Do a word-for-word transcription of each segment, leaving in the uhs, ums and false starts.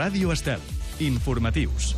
Ràdio Estel. Informatius.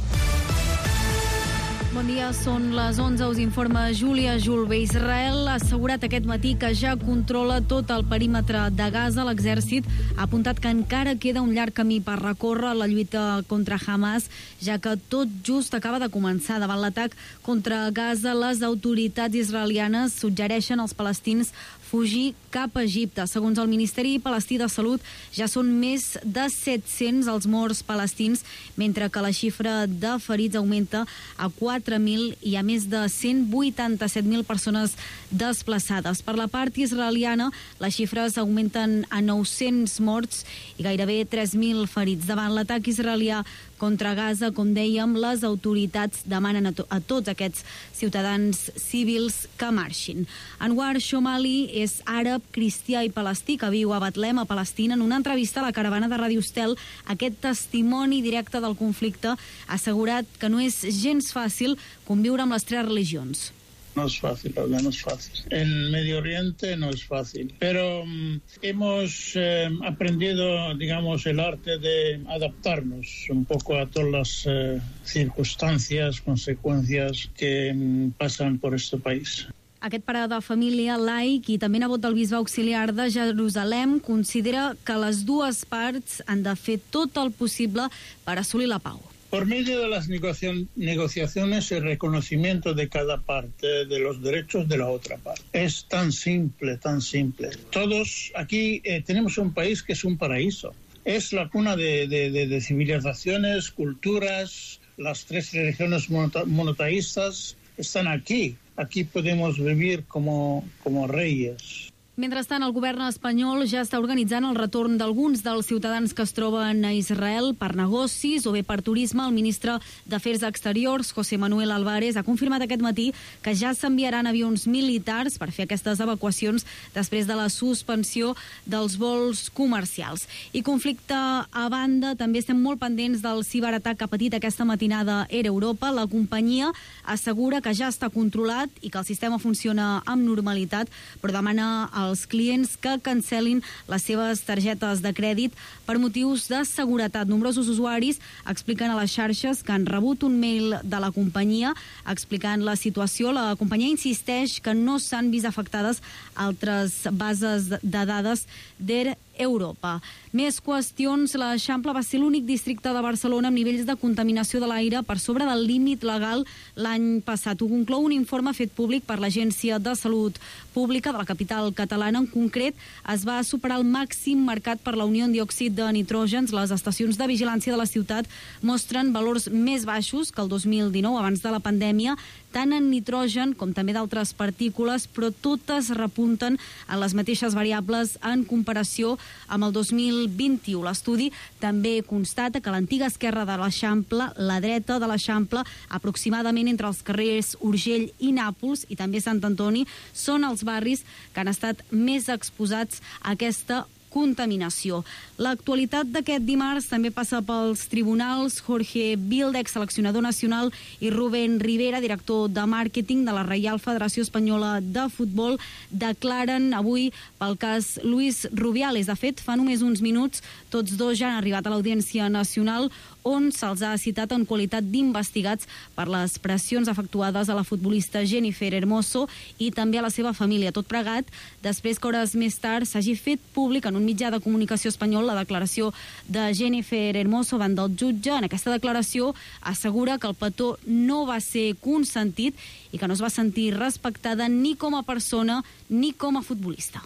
Bon dia, són les onze, us informa Júlia Julve. Israel ha assegurat aquest matí que ja controla tot el perímetre de Gaza. L'exèrcit ha apuntat que encara queda un llarg camí per recórrer la lluita contra Hamas, ja que tot just acaba de començar. Davant l'atac contra Gaza, les autoritats israelianes suggereixen als palestins fugir cap a Egipte. Segons el Ministeri Palestí de Salut, ja són més de set-cents els morts palestins, mentre que la xifra de ferits augmenta a quatre mil i a més de cent vuitanta-set mil persones desplaçades. Per la part israeliana, les xifres augmenten a nou-cents morts i gairebé tres mil ferits. Davant l'atac israelià contra Gaza, com dèiem, les autoritats demanen a, to a tots aquests ciutadans civils que marxin. Anwar Shomali és àrab, cristià i palestí que viu a Betlem, a Palestina. En una entrevista a la caravana de Ràdio Estel, aquest testimoni directe del conflicte ha assegurat que no és gens fàcil conviure amb les tres religions. No es fácil, la verdad, no es fácil. En Medio Oriente no es fácil, pero um, hemos eh, aprendido, digamos, el arte de adaptarnos un poco a todas las eh, circunstancias, consecuencias que um, pasan por este país. Aquest pare de família laic i també nebot del bisbe auxiliar de Jerusalem considera que les dues parts han de fer tot el possible per assolir la pau. Por medio de las negociaciones y reconocimiento de cada parte de los derechos de la otra parte. Es tan simple, tan simple. Todos aquí eh, tenemos un país que es un paraíso. Es la cuna de, de, de, de civilizaciones, culturas, las tres religiones monoteístas están aquí. Aquí podemos vivir como, como reyes. Mentrestant, el govern espanyol ja està organitzant el retorn d'alguns dels ciutadans que es troben a Israel per negocis o bé per turisme. El ministre d'Afers Exteriors, José Manuel Álvarez, ha confirmat aquest matí que ja s'enviaran avions militars per fer aquestes evacuacions després de la suspensió dels vols comercials. I conflicte a banda, també estem molt pendents del ciberatac que ha patit aquesta matinada Air Europa. La companyia assegura que ja està controlat i que el sistema funciona amb normalitat, però demana als clients que cancel·lin les seves targetes de crèdit per motius de seguretat. Nombrosos usuaris expliquen a les xarxes que han rebut un mail de la companyia explicant la situació. La companyia insisteix que no s'han vist afectades altres bases de dades d'Air Europa. Més qüestions. L'Eixample va ser l'únic districte de Barcelona amb nivells de contaminació de l'aire per sobre del límit legal l'any passat. Ho conclou un informe fet públic per l'Agència de Salut Pública de la capital catalana. En concret, es va superar el màxim marcat per la unió en diòxid de nitrògens. Les estacions de vigilància de la ciutat mostren valors més baixos que el dos mil dinou, abans de la pandèmia, tant en nitrogen com també d'altres partícules, però totes repunten en les mateixes variables en comparació amb el dos mil vint-i-u. L'estudi també constata que l'antiga esquerra de l'Eixample, la dreta de l'Eixample, aproximadament entre els carrers Urgell i Nàpols i també Sant Antoni, són els barris que han estat més exposats a aquesta contaminació. L'actualitat d'aquest dimarts també passa pels tribunals. Jorge Vilda, exseleccionador nacional, i Rubén Rivera, director de màrqueting de la Reial Federació Espanyola de Futbol, declaren avui pel cas Luis Rubiales. De fet, fa només uns minuts tots dos ja han arribat a l'Audiència Nacional, on se'ls ha citat en qualitat d'investigats per les pressions efectuades a la futbolista Jennifer Hermoso i també a la seva família. Tot plegat després que hores més tard s'hagi fet públic en un mitjà de comunicació espanyol la declaració de Jennifer Hermoso davant del jutge. En aquesta declaració assegura que el petó no va ser consentit i que no es va sentir respectada ni com a persona ni com a futbolista.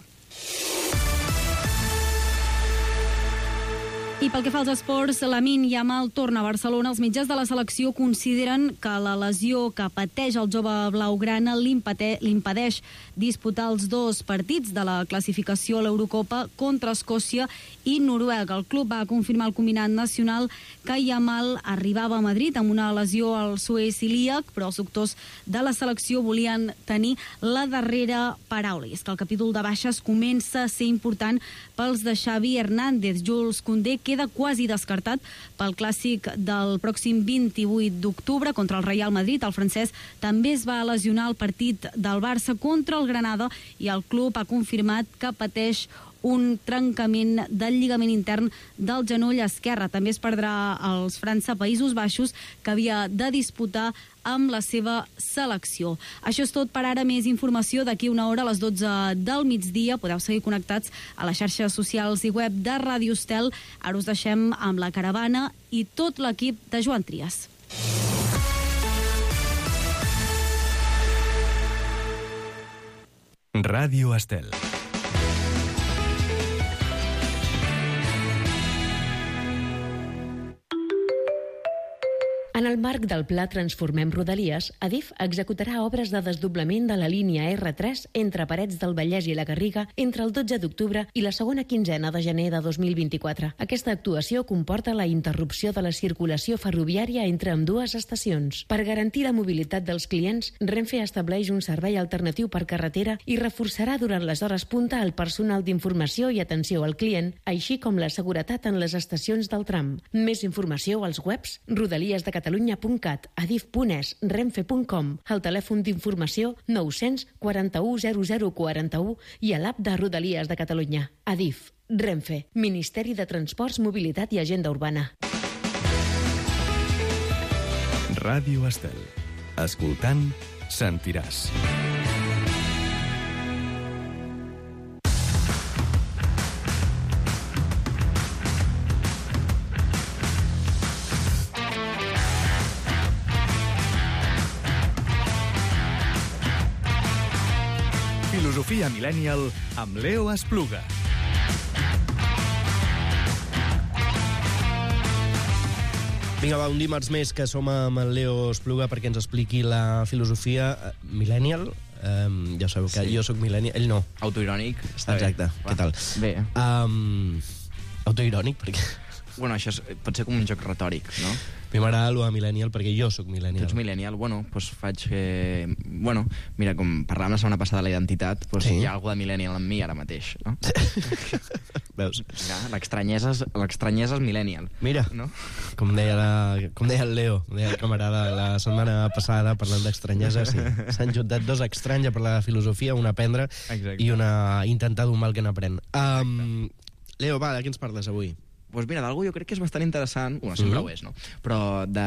I pel que fa als esports, Lamine Yamal torna a Barcelona. Els mitjans de la selecció consideren que la lesió que pateix el jove blaugrana l'impedeix disputar els dos partits de la classificació a l'Eurocopa contra Escòcia i Noruega. El club va confirmar al combinat nacional que Yamal arribava a Madrid amb una lesió al suez ilíac, però els doctors de la selecció volien tenir la darrera paraula. I és que el capítol de baixes comença a ser important pels de Xavi Hernández. Jules Koundé queda quasi descartat pel clàssic del pròxim vint-i-vuit d'octubre contra el Real Madrid. El francès també es va lesionar al partit del Barça contra el Granada i el club ha confirmat que pateix un trencament del lligament intern del genoll esquerre. També es perdrà els França-Països Baixos, que havia de disputar amb la seva selecció. Això és tot per ara. Més informació d'aquí una hora a les dotze del migdia. Podeu seguir connectats a les xarxes socials i web de Ràdio Estel. Ara us deixem amb la caravana i tot l'equip de Joan Trias. Ràdio Estel. En el marc del Pla Transformem Rodalies, Adif executarà obres de desdoblament de la línia erre tres entre Parets del Vallès i la Garriga entre el dotze d'octubre i la segona quinzena de gener de dos mil vint-i-quatre. Aquesta actuació comporta la interrupció de la circulació ferroviària entre ambdues estacions. Per garantir la mobilitat dels clients, Renfe estableix un servei alternatiu per carretera i reforçarà durant les hores punta el personal d'informació i atenció al client, així com la seguretat en les estacions del tram. Més informació als webs rodalies de Catalunya catalunya punt cat, adif punt es, renfe punt com, al telèfon d'informació nou-cents quaranta-u zero zero quaranta-u i a l'app de Rodalies de Catalunya. Adif, Renfe, Ministeri de Transports, Mobilitat i Agenda Urbana. Ràdio Estel. Escoltant, sentiràs. Filosofia Millennial amb Leo Espluga. Vinga, va, un dimarts més que som amb el Leo Espluga perquè ens expliqui la filosofia Millennial. Um, ja sabeu que sí. Jo soc Millennial, ell no. Autoirònic, està Exacte. bé. Què tal? Bé. Um, autoirònic, perquè... Bueno, això és, pot ser com un joc retòric, no? A mi m'agrada allò de Millennial perquè jo sóc Millennial. Tu ets Millennial, bueno, doncs faig... Eh, bueno, mira, com parlàvem la setmana passada de la identitat, doncs sí. Hi ha algú de Millennial en mi ara mateix, no? Veus? Ja, l'estranyesa és, l'estranyesa és Millennial. Mira, no? com, deia la, com deia el Leo, deia el camarada la setmana passada parlant d'estranyesa, sí. S'han juntat dos estranys a parlar de filosofia, una a aprendre Exacte. I una a intentar d'un mal que n'aprèn. Um, Leo, va, de què ens parles avui? Doncs pues mira, d'algú jo crec que és bastant interessant, bueno, sempre mm-hmm. ho és, no? Però de,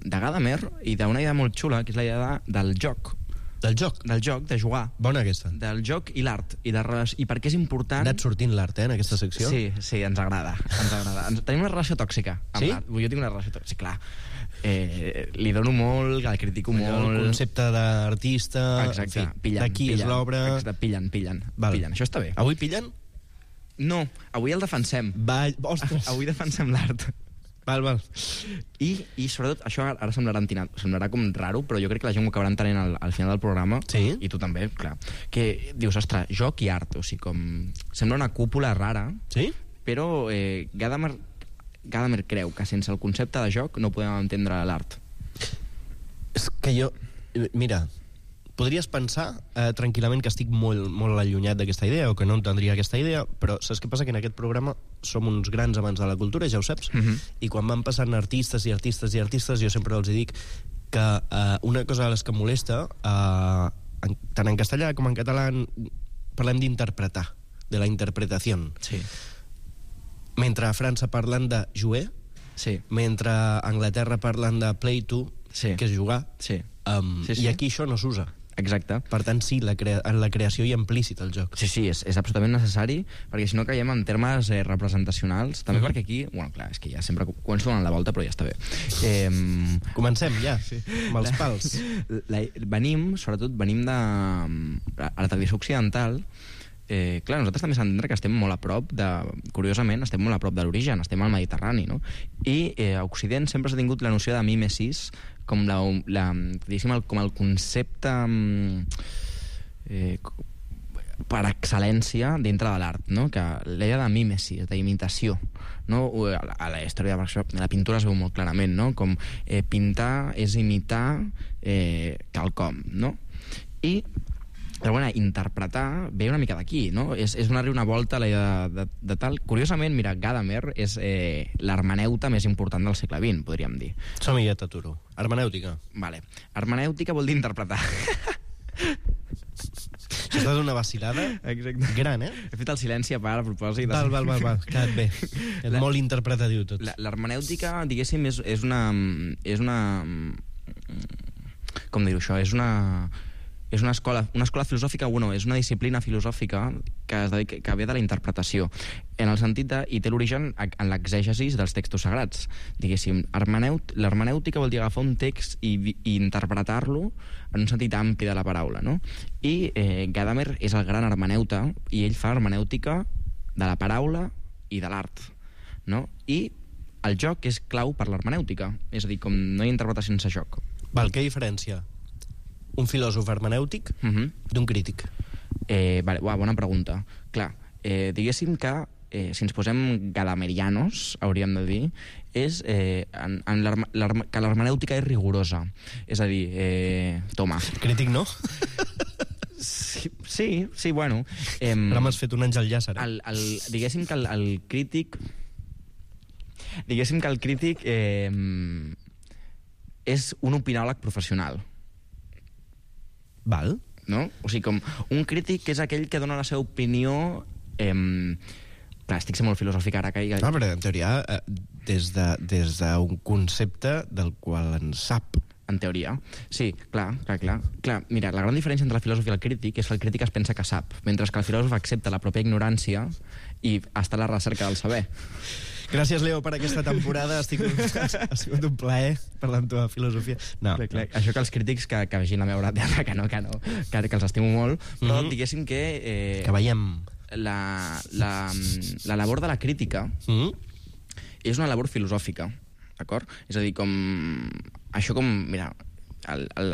de Gadamer i d'una idea molt xula, que és la idea de, del joc. Del joc? Del joc, de jugar. Bona aquesta. Del joc i l'art. I, de, I per què és important... Ha anat sortint l'art, eh, en aquesta secció? Sí, sí, ens agrada. Ens agrada. Tenim una relació tòxica amb sí? l'art. Jo tinc una relació tòxica, sí, clar. Eh, li dono molt, el critico Allò, molt... El concepte d'artista... Exacte. En fi, pillen, d'aquí pillen, és l'obra... Exacte, pillen, pillen, pillen. Això està bé. Avui pillen? No, avui el defensem. Va, ostres. Avui defensem l'art. Val, val. I, i sobretot, això ara semblarà, entinat, semblarà com raro, però jo crec que la gent ho acabarà entenent al, al final del programa. Sí? I tu també, clar. Que dius, ostres, joc i art, o sigui, com... Sembla una cúpula rara, sí? Però eh, Gadamer, Gadamer creu que sense el concepte de joc no podem entendre l'art. És que jo... Mira... Podries pensar eh, tranquil·lament que estic molt, molt allunyat d'aquesta idea o que no entendria aquesta idea, però saps què passa? Que en aquest programa som uns grans amants de la cultura, ja ho saps, uh-huh. i quan van passant artistes i artistes i artistes jo sempre els dic que eh, una cosa de les que molesta, eh, en, tant en castellà com en català, parlem d'interpretar, de la interpretació. Sí. Mentre a França parlen de jouer, sí. Mentre a Anglaterra parlen de play to, sí. que és jugar, sí. Um, sí, sí. I aquí això no s'usa. Exacte. Per tant, sí, la crea en la creació hi ha implícit el joc. Sí, sí, és, és absolutament necessari, perquè si no caiem en termes eh, representacionals, també uh-huh. perquè aquí, bueno, clar, és que ja sempre començo donant la volta, però ja està bé. Eh, Comencem, ja, sí. Amb els pals. La, la, venim, sobretot, venim de... A la tradició occidental, eh, clar, nosaltres també s'ha d'entendre que estem molt a prop de... Curiosament, estem molt a prop de l'origen, estem al Mediterrani, no? I eh, a Occident sempre s'ha tingut la noció de mimesis com, la, la, el, com el concepte eh, per excel·lència dintre de l'art, no? Que l'idea de mímesis, d'imitació, no? A la història de la pintura es veu molt clarament, no? Com eh, pintar és imitar eh, quelcom, no? I però bueno, interpretar ve una mica d'aquí, no? És, és donar-li una volta a la idea de, de, de tal... Curiosament, mira, Gadamer és eh, l'hermeneuta més important del segle vint, podríem dir. Som-hi, ja t'aturo. Hermenèutica. Vale. Hermenèutica vol dir interpretar. Això és una vacilada Exacte. gran, eh? He fet el silenci a part, a propòsit. Val, val, val, val. Quedat bé. És La- molt interpretatiu tot. La- L'hermenèutica, diguéssim, és, és una... És una... Com dir-ho això? És una... És una escola, una escola filosòfica, bueno, és una disciplina filosòfica que, es dedica, que ve de la interpretació, en el sentit de, i té l'origen en l'exègesis dels textos sagrats. Diguéssim, hermeneut, l'hermenèutica vol dir agafar un text i, i interpretar-lo en un sentit ampli de la paraula, no? I eh, Gadamer és el gran hermeneuta, i ell fa hermenèutica de la paraula i de l'art, no? I el joc és clau per l'hermenèutica, és a dir, com no hi ha interpretació sense joc. Val, què diferència un filòsof hermenèutic Uh -huh. d'un crític? Eh, vale, uah, bona pregunta. Clar, eh, diguéssim que eh, si ens posem gadamerianos, hauríem de dir, és eh, en, en l'herme- l'herme- que l'hermenèutica és rigorosa. És a dir, eh, toma. Crític no? Sí, sí, sí, bueno. Eh, Ara m'has fet un àngel llàcer. Eh? el, el, diguéssim que el, el crític... Diguéssim que el crític eh, és un opinòleg professional. Val. No? O sigui, com un crític és aquell que dona la seva opinió... Eh, clar, estic sent molt filosòfic ara. Que... No, però en teoria, eh, des de, des d'un concepte del qual en sap. En teoria. Sí, clar, clar, clar. clar. Mira, la gran diferència entre el filòsof i el crític és que el crític es pensa que sap, mentre que el filòsof accepta la pròpia ignorància i està a la recerca del saber. Gràcies, Leo, per aquesta temporada. Estic... ha sigut un plaer parlar amb tu de filosofia. No, Clar, clar. Això que els crítics que, que vegin la meva obra de teatre, que no, que no, que, que els estimo molt, però Mhm. diguéssim que... Eh, que veiem... la, la, la labor de la crítica Mm? és una labor filosòfica, d'acord? És a dir, com... Això com... Mira, el, el,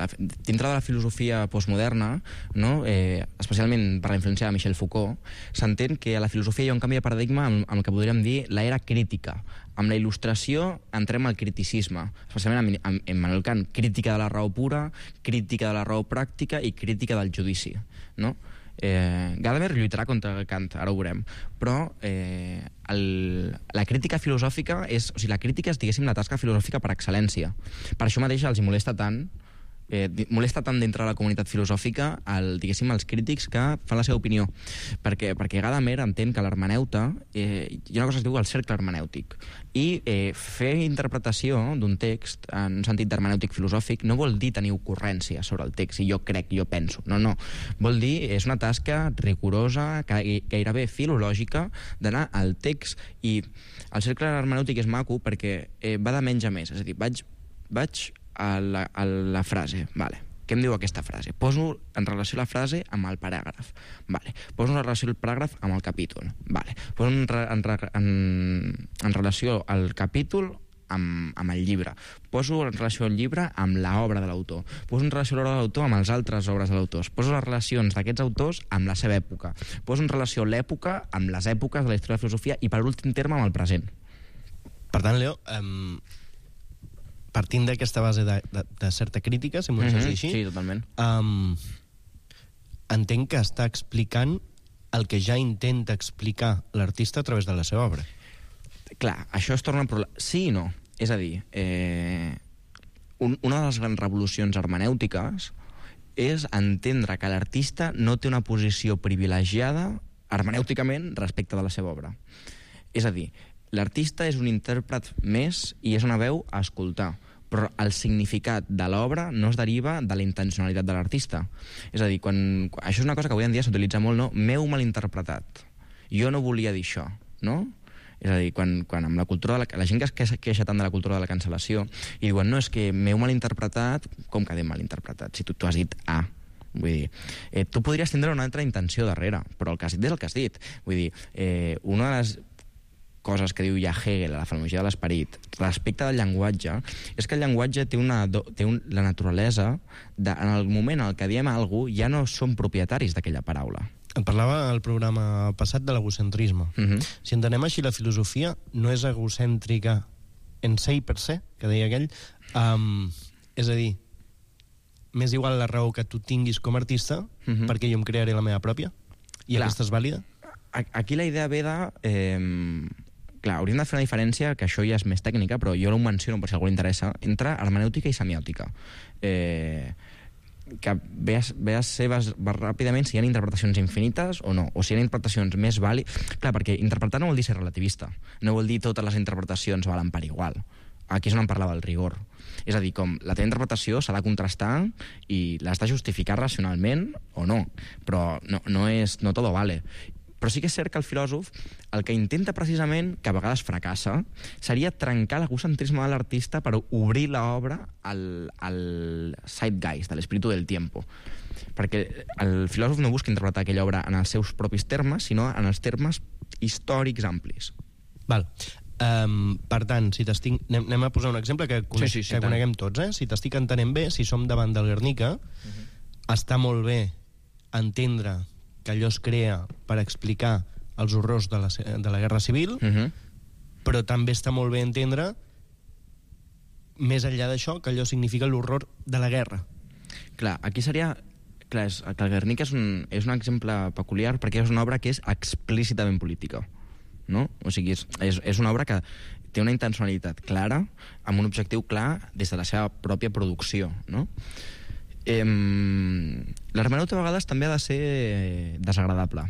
dintre de la filosofia postmoderna, no? eh, especialment per la influència de Michel Foucault, s'entén que a la filosofia hi ha un canvi de paradigma amb, amb el que podríem dir l'era crítica. Amb la il·lustració entrem al criticisme, especialment amb, amb Immanuel Kant, crítica de la raó pura, crítica de la raó pràctica i crítica del judici, no? Eh, Gadamer lluitarà contra Kant, ara ho veurem, però eh, el, la crítica filosòfica és, o sigui, la crítica és, diguéssim, la tasca filosòfica per excel·lència. Per això mateix els hi molesta tant eh, molesta tant dintre de la comunitat filosòfica el, diguéssim, els crítics que fan la seva opinió, perquè, perquè Gadamer entén que l'hermeneuta eh, hi ha una cosa que es diu el cercle hermenèutic, i eh, fer interpretació d'un text en un sentit d'hermenèutic filosòfic no vol dir tenir ocurrència sobre el text i jo crec, jo penso, no, no, vol dir és una tasca rigorosa, gairebé filològica, d'anar al text, i el cercle hermenèutic és maco perquè eh, va de menys a més, és a dir, vaig, vaig a la, a la frase, vale. Què em diu aquesta frase? Poso en relació la frase amb el paràgraf. Vale. Poso en relació el paràgraf amb el capítol. Vale. Poso en, en, en, en relació al capítol amb, amb el llibre. Poso en relació el llibre amb l'obra de l'autor. Poso en relació l'obra de l'autor amb les altres obres de l'autor. Poso les relacions d'aquests autors amb la seva època. Poso en relació l'època amb les èpoques de la història de la filosofia i, per últim terme, amb el present. Per tant, Leo, um, partint d'aquesta base de, de, de certa crítica, si m'ho deixes dir així, Sí, totalment. um, entenc que està explicant el que ja intenta explicar l'artista a través de la seva obra. Clar, això es torna un problema. Sí i no. És a dir, eh, un, una de les grans revolucions hermenèutiques és entendre que l'artista no té una posició privilegiada hermenèuticament respecte de la seva obra. És a dir, l'artista és un intèrpret més i és una veu a escoltar, però el significat de l'obra no es deriva de la intencionalitat de l'artista. És a dir, quan, això és una cosa que avui en dia s'utilitza molt, no? M'heu malinterpretat. Jo no volia dir això, no? És a dir, quan, quan amb la cultura de la, la gent que es queixa tant de la cultura de la cancel·lació i diuen, no, és que m'heu malinterpretat, com que m'heu malinterpretat? Si tu, tu has dit A. Vull dir, eh, tu podries tindre una altra intenció darrere, però el que has dit és el que has dit. Vull dir, eh, una de les coses que diu ja Hegel a la fenomenologia de l'esperit respecte del llenguatge és que el llenguatge té, una, té un, la naturalesa de, en el moment en què diem alguna cosa ja no som propietaris d'aquella paraula. En parlava al programa passat de l'egocentrisme. Uh -huh. Si entenem així, la filosofia no és egocèntrica en se i per se, que deia aquell. Um, és a dir, m'és igual la raó que tu tinguis com a artista, uh -huh. perquè jo em crearé la meva pròpia, i Clar. aquesta és vàlida? Aquí la idea ve de... Eh, clar, hauríem de fer una diferència, que això ja és més tècnica, però jo ho menciono per si algú li interessa, entre hermenèutica i semiòtica. Eh, que ve a, ve a ser ràpidament si hi ha interpretacions infinites o no, o si hi ha interpretacions més vàlides. Clar, perquè interpretar no vol dir ser relativista, no vol dir totes les interpretacions valen per igual. Aquí és on em parlava del rigor. És a dir, com la teva interpretació s'ha de contrastar i l'has de justificar racionalment o no, però no, no, és, no todo vale. Però sí que és cert que el filòsof el que intenta precisament, que a vegades fracassa, seria trencar l'egocentrisme de l'artista per obrir l'obra al, al zeitgeist, a l'espíritu del tiempo. Perquè el filòsof no busca interpretar aquella obra en els seus propis termes, sinó en els termes històrics amplis. Val. Um, per tant, si t'estic... Anem, anem a posar un exemple que, conec, sí, sí, sí, que coneguem tots, eh? Si t'estic entenent bé, si som davant del Guernica, uh-huh. està molt bé entendre que allò es crea per explicar els horrors de la, de la Guerra Civil, uh-huh. però també està molt bé entendre, més enllà d'això, que allò significa l'horror de la guerra. Clar, aquí seria... Clar, és, que el Guernica és un, és un exemple peculiar perquè és una obra que és explícitament política, no? O sigui, és, és, és una obra que té una intencionalitat clara, amb un objectiu clar des de la seva pròpia producció, no? Eh, l'hermenèutica a vegades també ha de ser desagradable,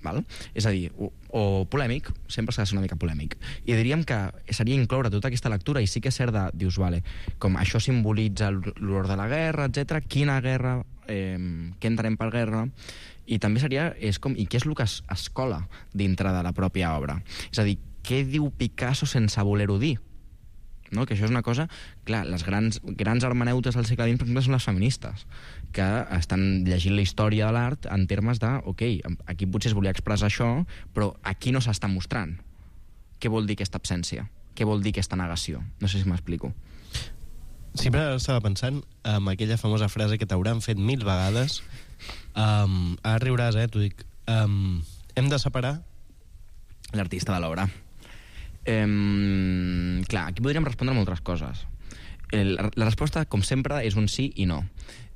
val? És a dir, o, o polèmic, sempre s'ha de ser una mica polèmic, i diríem que seria incloure tota aquesta lectura, i sí que és cert de, dius, vale, com això simbolitza l'horror de la guerra, etcètera, quina guerra, eh, què entenem per guerra, i també seria, és com, i què és el que es, es cola dintre de la pròpia obra, és a dir, què diu Picasso sense voler-ho dir? No? Que això és una cosa... Clar, les grans, grans hermeneutes del segle vint, per exemple, són les feministes, que estan llegint la història de l'art en termes de, ok, aquí potser es volia expressar això, però aquí no s'està mostrant. Què vol dir aquesta absència? Què vol dir aquesta negació? No sé si m'explico. Sempre estava pensant en aquella famosa frase que t'hauran fet mil vegades. Um, ara riuràs, eh, t'ho dic. Um, hem de separar l'artista de l'obra. Eh, clar, aquí podríem respondre moltes coses. El, la resposta, com sempre, és un sí i no.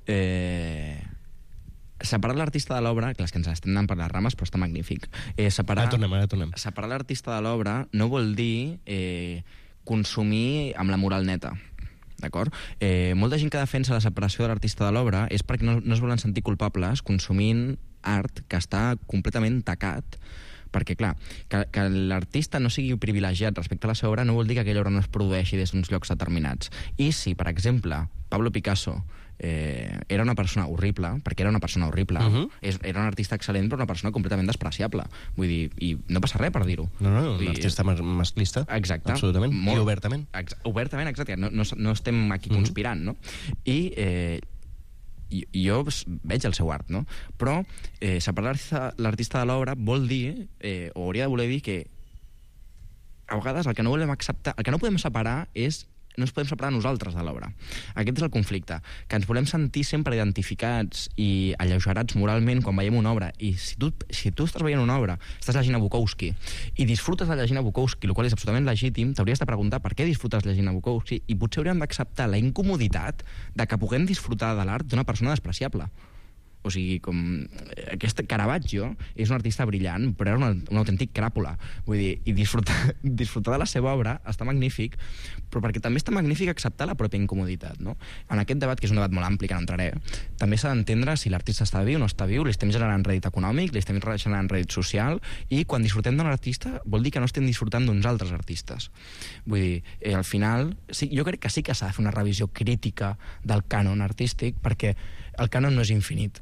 Eh, separar l'artista de l'obra, clar, és que ens estem anant per les rames, però està magnífic. Eh, separar, ara tornem, ara tornem. Separar l'artista de l'obra no vol dir eh, consumir amb la moral neta. D'acord? Eh, molta gent que defensa la separació de l'artista de l'obra és perquè no, no es volen sentir culpables consumint art que està completament tacat, perquè, clar, que, que l'artista no sigui privilegiat respecte a la seva obra no vol dir que aquella obra no es produeixi des d'uns llocs determinats. I si, per exemple, Pablo Picasso eh, era una persona horrible, perquè era una persona horrible, uh-huh. és, era un artista excel·lent però una persona completament despreciable. Vull dir, i no passa res per dir-ho. No, no, un artista mas masclista. Exacte. Absolutament. Molt, I obertament. Ex obertament, exacte. No, no, no estem aquí uh-huh. conspirant, no? I... Eh, jo veig el seu art, no? Però eh, separar l'artista de l'obra vol dir, eh, o hauria de voler dir que a vegades el que no volem acceptar, el que no podem separar és no ens podem separar nosaltres de l'obra. Aquest és el conflicte, que ens volem sentir sempre identificats i alleugerats moralment quan veiem una obra, i si tu, si tu estàs veient una obra, estàs llegint a Bukowski i disfrutes de llegir a Bukowski, el qual és absolutament legítim, t'hauries de preguntar per què disfrutes llegint a Bukowski, i potser hauríem d'acceptar la incomoditat de que puguem disfrutar de l'art d'una persona despreciable. O sigui, com... Aquest Caravaggio és un artista brillant, però era un, un autèntic cràpula. Vull dir, i disfrutar, disfrutar de la seva obra està magnífic, però perquè també està magnífic acceptar la pròpia incomoditat, no? En aquest debat, que és un debat molt ampli, que no entraré, també s'ha d'entendre si l'artista està viu o no està viu, li estem generant rèdit econòmic, li estem generant rèdit social, i quan disfrutem d'un artista vol dir que no estem disfrutant d'uns altres artistes. Vull dir, eh, al final, sí, jo crec que sí que s'ha de fer una revisió crítica del cànon artístic, perquè el cànon no és infinit.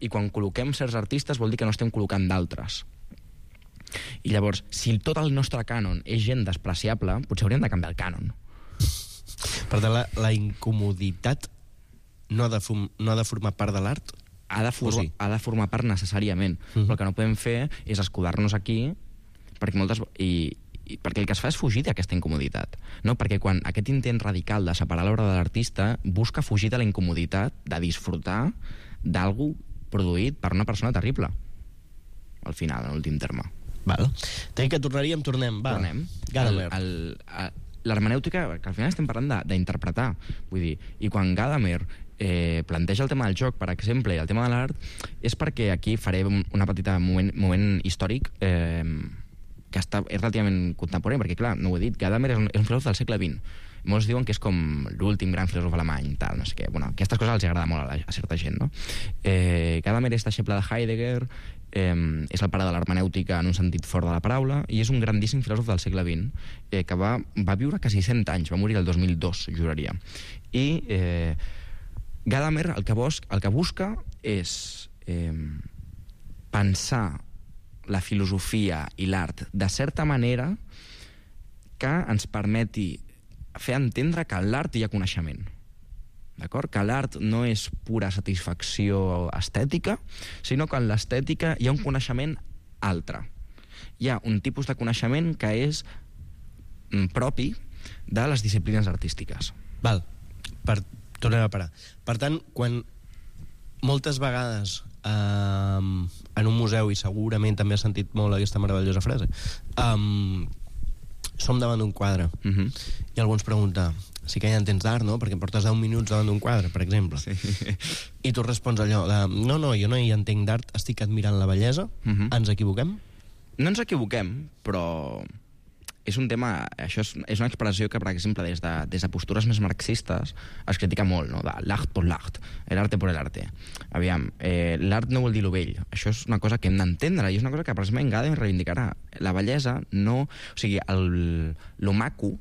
I quan col·loquem certs artistes vol dir que no estem col·locant d'altres. I llavors, si tot el nostre cànon és gent despreciable, potser hauríem de canviar el cànon. Per tant, la, la incomoditat no ha, de no ha de formar part de l'art? Ha de, for sí? ha de formar part necessàriament. Uh-huh. Però el que no podem fer és escudar-nos aquí, perquè moltes... I, i perquè el que es fa és fugir d'aquesta incomoditat, no? Perquè quan aquest intent radical de separar l'obra de l'artista busca fugir de la incomoditat de disfrutar d'algú produït per una persona terrible, al final, en l'últim terme. Val. Tenim que tornaríem, tornem. Va. Tornem. Gadamer. L'hermenèutica, que al final estem parlant d'interpretar, vull dir, i quan Gadamer eh, planteja el tema del joc, per exemple, i el tema de l'art, és perquè aquí faré una petita moment, moment històric eh, que està, és relativament contemporani, perquè, clar, no ho he dit, Gadamer és un, és un filòsof del segle vint. Molts diuen que és com l'últim gran filòsof alemany, tal, no sé què. Bueno, aquestes coses els agrada molt a, la, a certa gent, no? Eh, Gadamer és deixeble de Heidegger, eh, és el pare de l'hermenèutica en un sentit fort de la paraula, i és un grandíssim filòsof del segle vint, eh, que va, va viure quasi cent anys, va morir el dos mil dos, juraria. I eh, Gadamer el que, bus, el que busca és eh, pensar la filosofia i l'art de certa manera que ens permeti fer entendre que en l'art hi ha coneixement. D'acord? Que l'art no és pura satisfacció estètica, sinó que en l'estètica hi ha un coneixement altre. Hi ha un tipus de coneixement que és propi de les disciplines artístiques. Val, per, tornem a parar. Per tant, quan moltes vegades Um, en un museu, i segurament també has sentit molt aquesta meravellosa frase, um, som davant d'un quadre, uh-huh. i algú ens pregunta, sí que ja entens d'art, no? Perquè portes deu minuts davant d'un quadre, per exemple. Sí. I tu respons allò de, no, no, jo no hi entenc d'art, estic admirant la bellesa. Uh-huh. Ens equivoquem? No ens equivoquem, però és un tema, això és, és una expressió que, per exemple, des de, des de postures més marxistes es critica molt, no? De l'art por l'art, l'arte por l'arte. Aviam, eh, l'art no vol dir lo vell. Això és una cosa que hem d'entendre, i és una cosa que precisament Gadamer reivindicarà. La bellesa no... O sigui, el, lo maco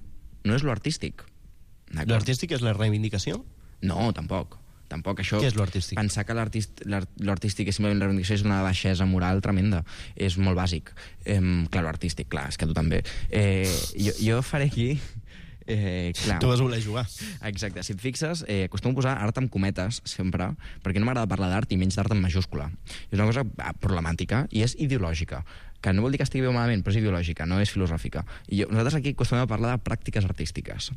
no és lo artístic. Lo artístic és la reivindicació? No, tampoc. Tampoc això... Què és l'artístic? Pensar que l'artístic és simplement la reivindicació és una baixesa moral tremenda. És molt bàsic. Eh, clar, l'artístic, clar, és que tu també. Eh, jo, jo faré aquí... Eh, clar. Tu vas voler jugar. Exacte. Si et fixes, eh, acostumo a posar art amb cometes, sempre, perquè no m'agrada parlar d'art i menys d'art en majúscula. És una cosa problemàtica i és ideològica, que no vol dir que estigui bé o malament, però és ideològica, no és filosòfica. I jo, nosaltres aquí acostumem a parlar de pràctiques artístiques,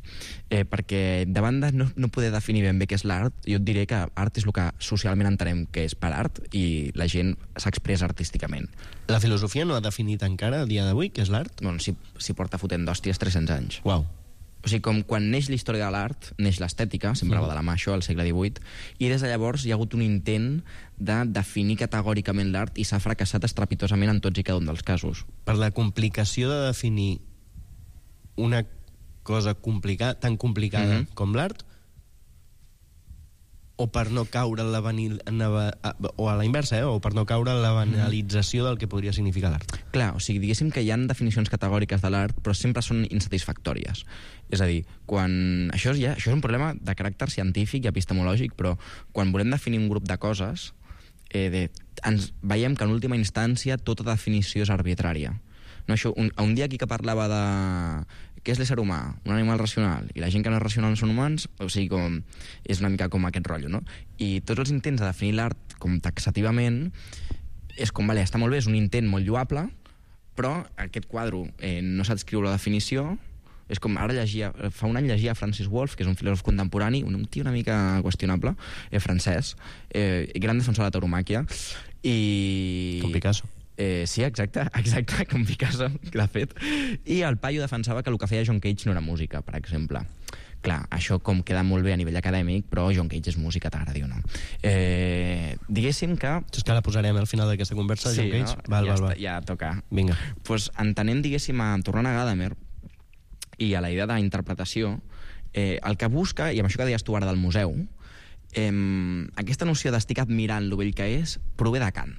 eh, perquè davant de no, no poder definir ben bé què és l'art, jo et diré que art és el que socialment entenem que és per art i la gent s'expressa artísticament. La filosofia no ha definit encara, a dia d'avui, què és l'art? Bueno, si, si porta fotent d'hòsties tres-cents anys. Uau. O sigui, com quan neix la història de l'art, neix l'estètica, sempre va de la mà això, al segle divuit, i des de llavors hi ha hagut un intent de definir categòricament l'art i s'ha fracassat estrepitosament en tots i cada un dels casos. Per la complicació de definir una cosa complicada, tan complicada mm-hmm. com l'art, o per no caure en la banil... o a la inversa, eh? o per no caure en la banalització del que podria significar l'art. Clar, o sigui, diguéssim que hi ha definicions categòriques de l'art, però sempre són insatisfactòries. És a dir, quan... Això és, ja, això és un problema de caràcter científic i epistemològic, però quan volem definir un grup de coses, eh, de... ens veiem que en última instància tota definició és arbitrària. No, això, un, un dia aquí que parlava de què és l'ésser humà, un animal racional, i la gent que no és racional no són humans, o sigui, com, és una mica com aquest rotllo, no? I tots els intents de definir l'art com taxativament és com, vale, està molt bé, és un intent molt lloable, però aquest quadre eh, no saps escriure la definició. És com ara llegia, fa un any llegia Francis Wolff, que és un filòsof contemporani, un tio una mica qüestionable, eh, francès, eh, gran defensor de la tauromàquia, i... Com Picasso. Eh, sí, exacte, exacte, com Picasso, que l'ha fet. I el paio defensava que el que feia John Cage no era música, per exemple. Clar, això com queda molt bé a nivell acadèmic, però John Cage és música, t'agradi o no. Eh, diguéssim que... És que la posarem al final d'aquesta conversa, sí, John Cage? No? Val, ja, val, està, val. ja toca. Vinga. Pues, entenent, diguéssim, a, tornant a Gadamer i a la idea d'interpretació, eh, el que busca, i amb això que deies tu ara del museu, eh, aquesta noció d'estic admirant lo vell que és, prové de Kant,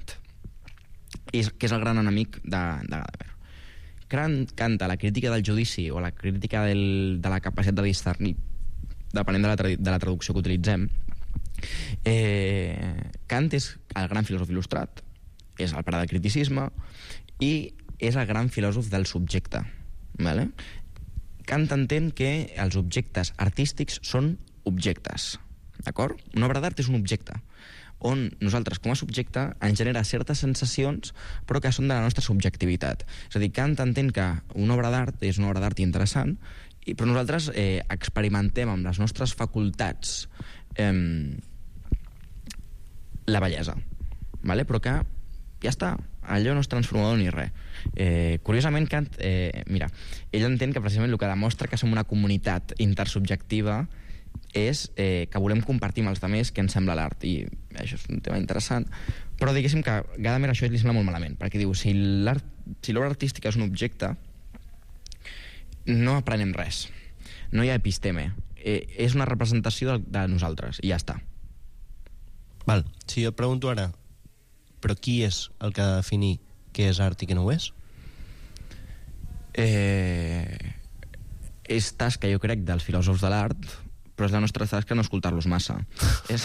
que és el gran enemic de, de Gadamer. Kant, a la crítica del judici o la crítica del, de la capacitat de discernir, depenent de la, de la traducció que utilitzem, eh, Kant és el gran filòsof il·lustrat, és el pare del criticisme i és el gran filòsof del subjecte. Vale? Kant entén que els objectes artístics són objectes. D'acord? Una obra d'art és un objecte on nosaltres, com a subjecte, ens genera certes sensacions, però que són de la nostra subjectivitat. És a dir, Kant entén que una obra d'art és una obra d'art interessant, i, però nosaltres eh, experimentem amb les nostres facultats eh, la bellesa, vale? Però que ja està, allò no és transformador ni res. Eh, curiosament, Kant, eh, mira, ell entén que precisament el que demostra que som una comunitat intersubjectiva és eh, que volem compartir amb els altres què ens sembla l'art, i això és un tema interessant, però diguéssim que Gadamer això li sembla molt malament, perquè diu, si l'art, si l'obra artística és un objecte, no aprenem res. no hi ha episteme. Eh, és una representació de, de nosaltres, i ja està. Val. Si jo et pregunto ara, però qui és el que ha de definir què és art i què no ho és? Eh, és tasca, jo crec, dels filòsofs de l'art, però és la nostra tasca no escoltar-los massa. és,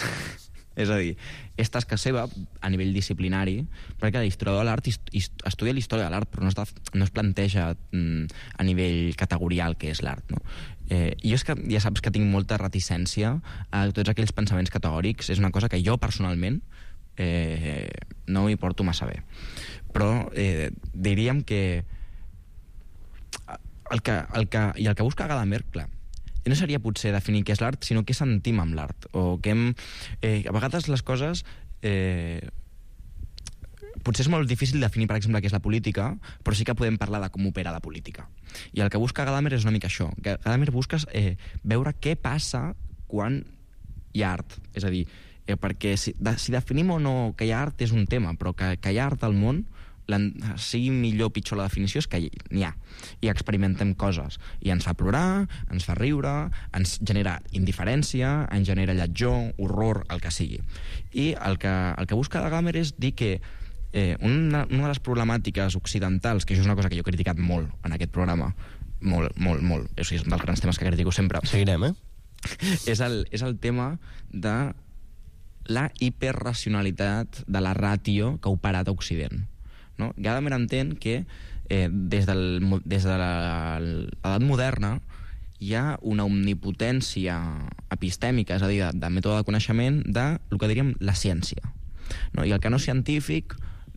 és a dir, és tasca seva a nivell disciplinari, perquè l'historiador de l'art estudia la història de l'art, però no es, no es planteja mm, a nivell categorial què és l'art, no? Eh, jo és que ja saps que tinc molta reticència a tots aquells pensaments categòrics. És una cosa que jo personalment eh, no m'hi porto massa bé, però eh, diríem que el que, el que i el que busca Gadamer, clar, no seria potser definir què és l'art, sinó què sentim amb l'art, o què hem... Eh, a vegades les coses eh, potser és molt difícil definir, per exemple, què és la política, però sí que podem parlar de com opera la política. I el que busca Gadamer és una mica això. Gadamer busca eh, veure què passa quan hi ha art. És a dir, eh, perquè si, de, si definim o no que hi ha art és un tema, però que, que hi ha art al món, sigui millor o pitjor la definició, és que n'hi ha. I experimentem coses. I ens fa plorar, ens fa riure, ens genera indiferència, ens genera lletjor, horror, el que sigui. I el que, el que busca Gadamer és dir que Eh, una, una de les problemàtiques occidentals, que això és una cosa que jo he criticat molt en aquest programa, molt, molt, molt, o sigui, és un dels grans temes que critico sempre. Seguirem, eh? És el, és el tema de la hiperracionalitat de la ràtio que ha operat a Occident. No? Gadamer entén que eh, des, del, des de l'edat moderna hi ha una omnipotència epistèmica, és a dir, de, de mètode de coneixement, de el que diríem la ciència. No? I el que no és científic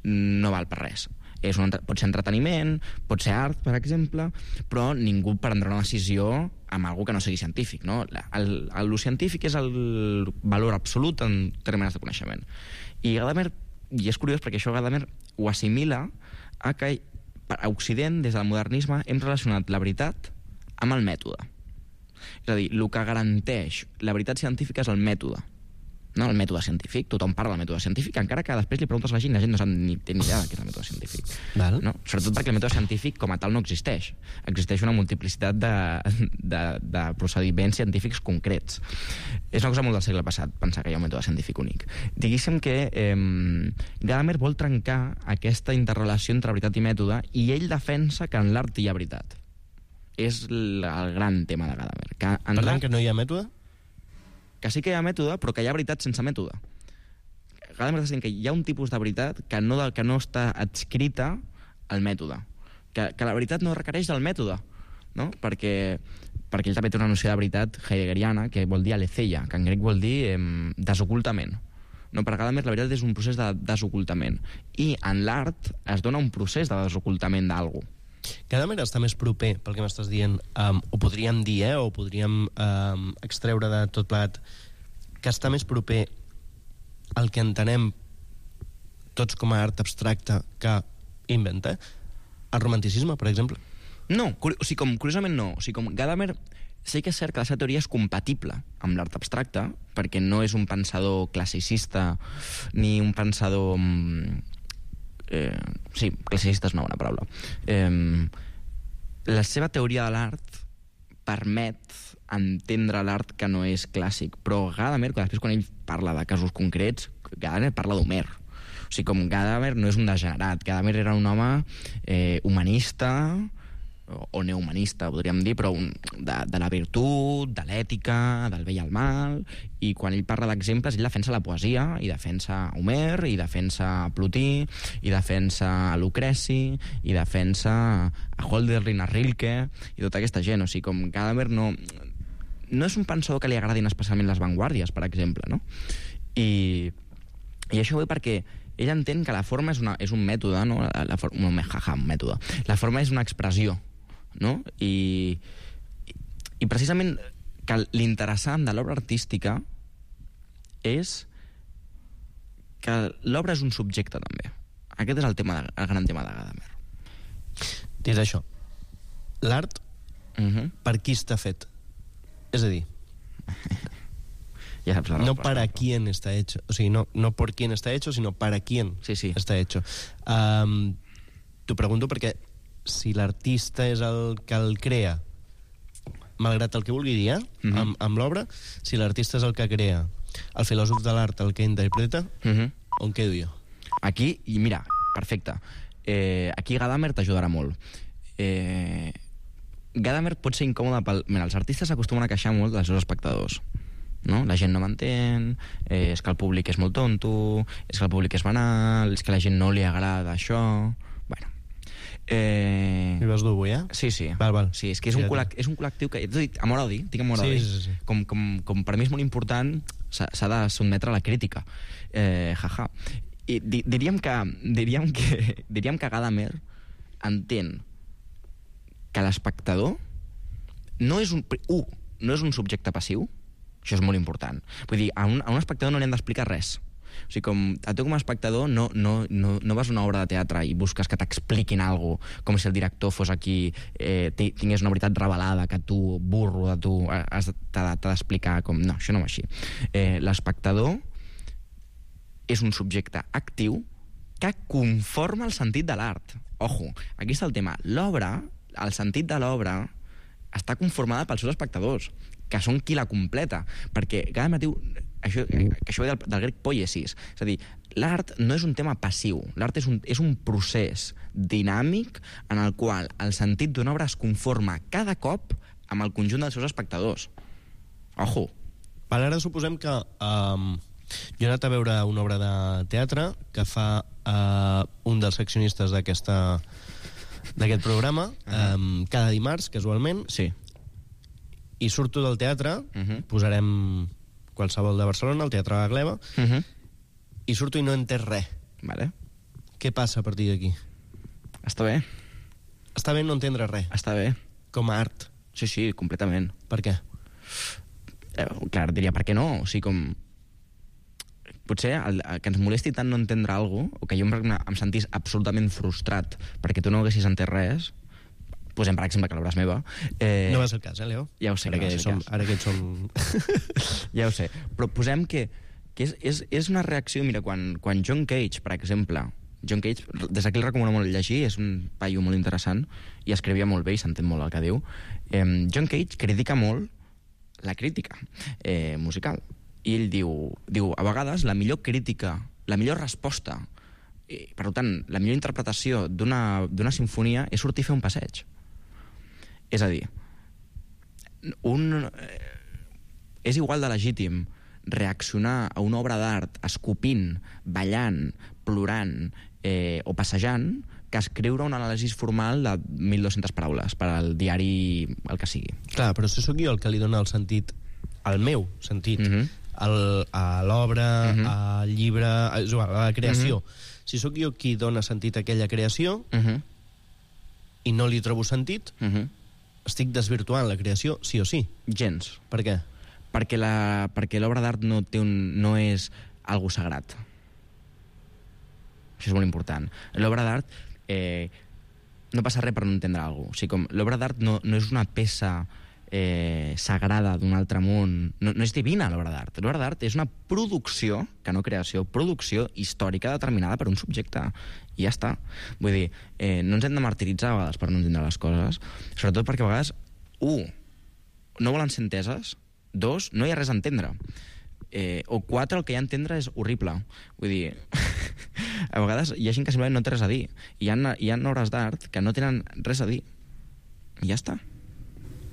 no val per res. És un, pot ser entreteniment, pot ser art, per exemple, però ningú prendrà una decisió amb algo que no sigui científic. No? El, el, el científic és el valor absolut en termes de coneixement. I Gadamer, i és curiós perquè això Gadamer ho assimila a que a Occident, des del modernisme, hem relacionat la veritat amb el mètode. És a dir, el que garanteix la veritat científica és el mètode. No, el mètode científic, tothom parla del mètode científic, encara que després li preguntes a la gent i la gent no sap ni, té ni idea de què és el mètode científic. Val. No? Sobretot perquè el mètode científic com a tal no existeix. Existeix una multiplicitat de, de, de procediments científics concrets. És una cosa molt del segle passat, pensar que hi ha un mètode científic únic. Diguéssim que eh, Gadamer vol trencar aquesta interrelació entre veritat i mètode, i ell defensa que en l'art hi ha veritat. És el, el gran tema de Gadamer. Que per tant, que no hi ha mètode? Que sí que hi ha mètode, però que hi ha veritat sense mètode. Gadamer està dient que hi ha un tipus de veritat que no, que no està adscrita al mètode. Que, que la veritat no requereix del mètode, no? Perquè, perquè ell també té una noció de veritat heideggeriana, que vol dir aletheia, que en grec vol dir eh, desocultament. No, per Gadamer la veritat és un procés de desocultament. I en l'art es dona un procés de desocultament d'algú. Gadamer està més proper, pel que m'estàs dient, um, ho podríem dir, eh, o podríem um, extreure de tot plegat, que està més proper al que entenem tots com a art abstracte que inventa, el romanticisme, per exemple? No, o sigui, com, curiosament no. O sigui, com Gadamer sí que és cert que la seva teoria és compatible amb l'art abstracte, perquè no és un pensador classicista ni un pensador... Eh, sí, classicista és una bona paraula. Eh, la seva teoria de l'art permet entendre l'art que no és clàssic, però Gadamer, després quan ell parla de casos concrets, Gadamer parla d'Homer. O sigui, com Gadamer no és un degenerat, Gadamer era un home eh, humanista, o neohumanista, podríem dir, però un, de, de la virtut, de l'ètica, del bé i el mal, i quan ell parla d'exemples, ell defensa la poesia, i defensa Homer, i defensa Plotí, i defensa Lucreci, i defensa a Hölderlin, a Rilke, i tota aquesta gent. O sigui, com Gadamer no, no és un pensador que li agradin especialment les vanguardies, per exemple, no? I, i això ho ve perquè ell entén que la forma és, una, és un mètode, no? La, la for, un, jaja, un mètode. La forma és una expressió, no? I, i precisament que l'interessant de l'obra artística és que l'obra és un subjecte també. Aquest és el, tema de, el gran tema de Gadamer. Dit això, l'art uh -huh. per qui està fet? És a dir, ja saps la no resposta, para però... quién está hecho, o sigui, no, no por quién está hecho, sino para quién sí, sí. está hecho. Um, T'ho pregunto perquè si l'artista és el que el crea, malgrat el que vulgui dir, eh? Mm-hmm. amb, amb l'obra, si l'artista és el que crea, el filòsof de l'art el que interpreta, mm-hmm. on quedo jo? Aquí, i mira, perfecte. Eh, aquí Gadamer t'ajudarà molt. Eh, Gadamer pot ser incòmode pel... Mira, els artistes s'acostumen a queixar molt dels seus espectadors. No? La gent no m'entén, eh, és que el públic és molt tonto, és que el públic és banal, és que a la gent no li agrada això... Bueno. Eh... Li vas dur avui, eh? Sí, sí. Val, val. Sí, és que és un, col·lec és un col·lectiu que... Amor a dir, tinc amor a dir. Sí, sí, sí. Com, com, com per mi és molt important, s'ha de sotmetre a la crítica. Eh, jaja. I di diríem que, diríem que, diríem que Gadamer entén que l'espectador no és un... Uh, no és un subjecte passiu. Això és molt important. Vull dir, a un, a un espectador no li han d'explicar res. O sigui, com, a tu com a espectador no, no, no, no vas a una obra de teatre i busques que t'expliquin alguna cosa, com si el director fos aquí, eh, tingués una veritat revelada, que tu, burro de tu, t'ha d'explicar com... No, això no va així. Eh, l'espectador és un subjecte actiu que conforma el sentit de l'art. Ojo, aquí està el tema. L'obra, el sentit de l'obra, està conformada pels seus espectadors, que són qui la completa, perquè cada matí això, això ve del, del grec poiesis, és a dir, l'art no és un tema passiu, l'art és, un, és un procés dinàmic en el qual el sentit d'una obra es conforma cada cop amb el conjunt dels seus espectadors. Ojo. Vale, ara suposem que um, jo he anat a veure una obra de teatre que fa uh, un dels seccionistes d'aquesta d'aquest programa, uh-huh. um, cada dimarts, casualment, sí. I surto del teatre, uh-huh. posarem qualsevol de Barcelona, el Teatre de la Gleva, uh-huh. i surto i no he entès res. Vale. Què passa a partir d'aquí? Està bé. Està bé no entendre res. Està bé. Com a art. Sí, sí, completament. Per què? Eh, clar, diria per què no. O sigui, com... Potser el, el que ens molesti tant no entendre alguna cosa, o que jo em, em sentís absolutament frustrat perquè tu no haguessis entès res, posem, per exemple, que l'obra és meva. Eh... No va ser el cas, eh, Leo? Ja ho sé. Ara que, que som, ara que som... Ja ho sé. Però posem que, que és, és, és una reacció... Mira, quan, quan John Cage, per exemple... John Cage, des d'aquí el recomano molt llegir, és un paio molt interessant, i escrivia molt bé i s'entén molt el que diu. Eh, John Cage critica molt la crítica eh, musical. I ell diu, diu, a vegades la millor crítica, la millor resposta, i, per tant, la millor interpretació d'una sinfonia és sortir a fer un passeig. És a dir, un, eh, és igual de legítim reaccionar a una obra d'art escopint, ballant, plorant eh, o passejant que escriure un anàlisi formal de mil dues-centes paraules per al diari, el que sigui. Clar, però si sóc jo el que li dona el sentit, el meu sentit, mm-hmm. el, a l'obra, mm-hmm. al llibre, a, a la creació. Mm-hmm. Si sóc jo qui dona sentit a aquella creació mm-hmm. i no li trobo sentit, mm-hmm. estic desvirtuant la creació, sí o sí. Gens. Per què? Perquè la, perquè l'obra d'art no, té un, no és algo sagrat. Això és molt important. L'obra d'art eh, no passa res per no entendre alguna cosa. O sigui, com l'obra d'art no, no és una peça eh, sagrada d'un altre món. No, no és divina, l'obra d'art. L'obra d'art és una producció, que no creació, producció històrica determinada per un subjecte. I ja està. Vull dir, eh, no ens hem de martiritzar a vegades per no entendre les coses, sobretot perquè a vegades, u, no volen ser enteses, dos, no hi ha res a entendre. Eh, o quatre, el que hi ha a entendre és horrible. Vull dir, a vegades hi ha gent que simplement no té res a dir. Hi ha, hi ha obres d'art que no tenen res a dir. I ja està.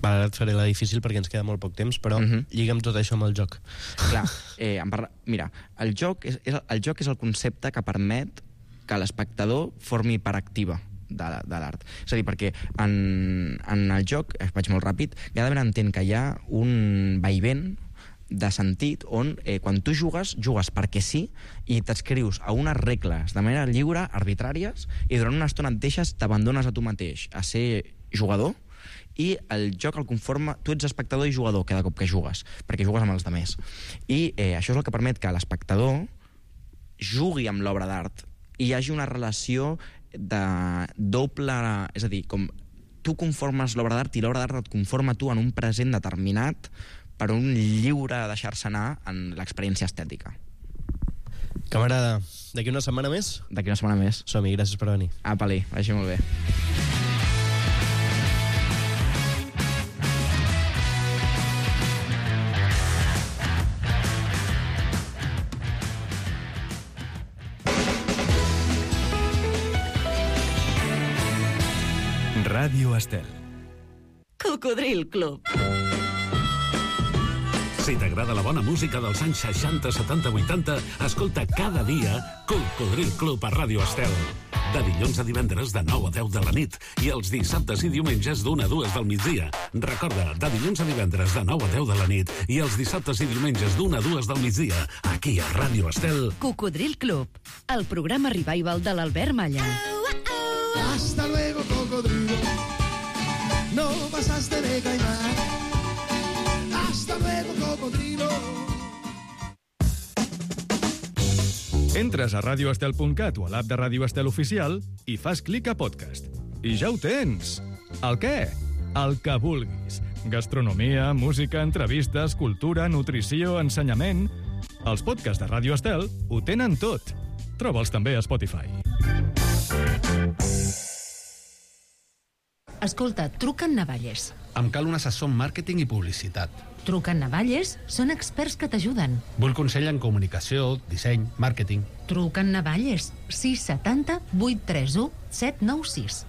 Vale, ara et faré la difícil perquè ens queda molt poc temps, però uh-huh. lliga'm tot això amb el joc. Clar, eh, em parla... mira, el joc és, és, el joc és el concepte que permet que l'espectador formi part activa de, de l'art. És a dir, perquè en, en el joc, vaig molt ràpid, Gadamer entén que hi ha un vaivent de sentit on eh, quan tu jugues, jugues perquè sí i t'escrius a unes regles de manera lliure, arbitràries, i durant una estona et deixes, t'abandones a tu mateix a ser jugador, i el joc el conforma, tu ets espectador i jugador cada cop que jugues, perquè jugues amb els demés. I eh, això és el que permet que l'espectador jugui amb l'obra d'art i hi hagi una relació de doble... És a dir, com tu conformes l'obra d'art i l'obra d'art et conforma tu en un present determinat per un lliure deixar-se anar en l'experiència estètica. Camarada, d'aquí una setmana més? D'aquí una setmana més. Som-hi, gràcies per venir. Apa-li, vagi molt bé. Ràdio Estel. Cocodril Club. Si t'agrada la bona música dels anys seixanta, setanta, vuitanta, escolta cada dia Cocodril Club a Ràdio Estel. De dilluns a divendres de nou a deu de la nit i els dissabtes i diumenges d'una a dues del migdia. Recorda, de dilluns a divendres de nou a deu de la nit i els dissabtes i diumenges d'una a dues del migdia, aquí a Ràdio Estel. Cocodril Club, el programa revival de l'Albert Malla. Hasta luego, cocodrilo. No pasaste de caimán. Hasta luego, cocodrilo. Entres a radio estel punt cat o a l'app de Ràdio Estel Oficial i fas clic a podcast. I ja ho tens. El què? El que vulguis. Gastronomia, música, entrevistes, cultura, nutrició, ensenyament... Els podcasts de Ràdio Estel ho tenen tot. Troba'ls també a Spotify. Escolta, truquen Navalles. Em cal un assessor en màrqueting i publicitat. Truquen Navalles, són experts que t'ajuden. Vull consell en comunicació, disseny, màrqueting. Truquen Navalles, sis setanta vuit tres u set nou sis.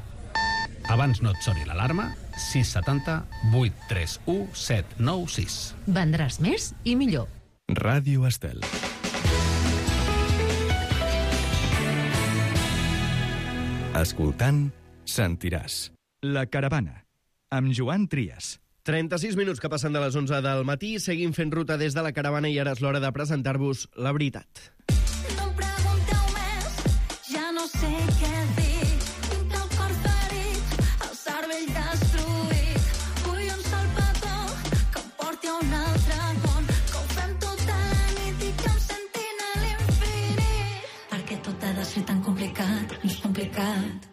Abans no et soni l'alarma, sis setanta vuit tres u set nou sis. Vendràs més i millor. Ràdio Estel. Escoltant, sentiràs. La Caravana, amb Joan Trias. trenta-sis minuts que passen de les onze del matí, seguim fent ruta des de la Caravana i ara és l'hora de presentar-vos La Veritat. No em pregunteu més, ja no sé què dir. Tinc el cor ferit, el cervell destruït. Vull un sol petó que em porti a un altre món, que ho fem tota la nit i que em sentin a l'infinit. Perquè tot ha de ser tan complicat, no és complicat.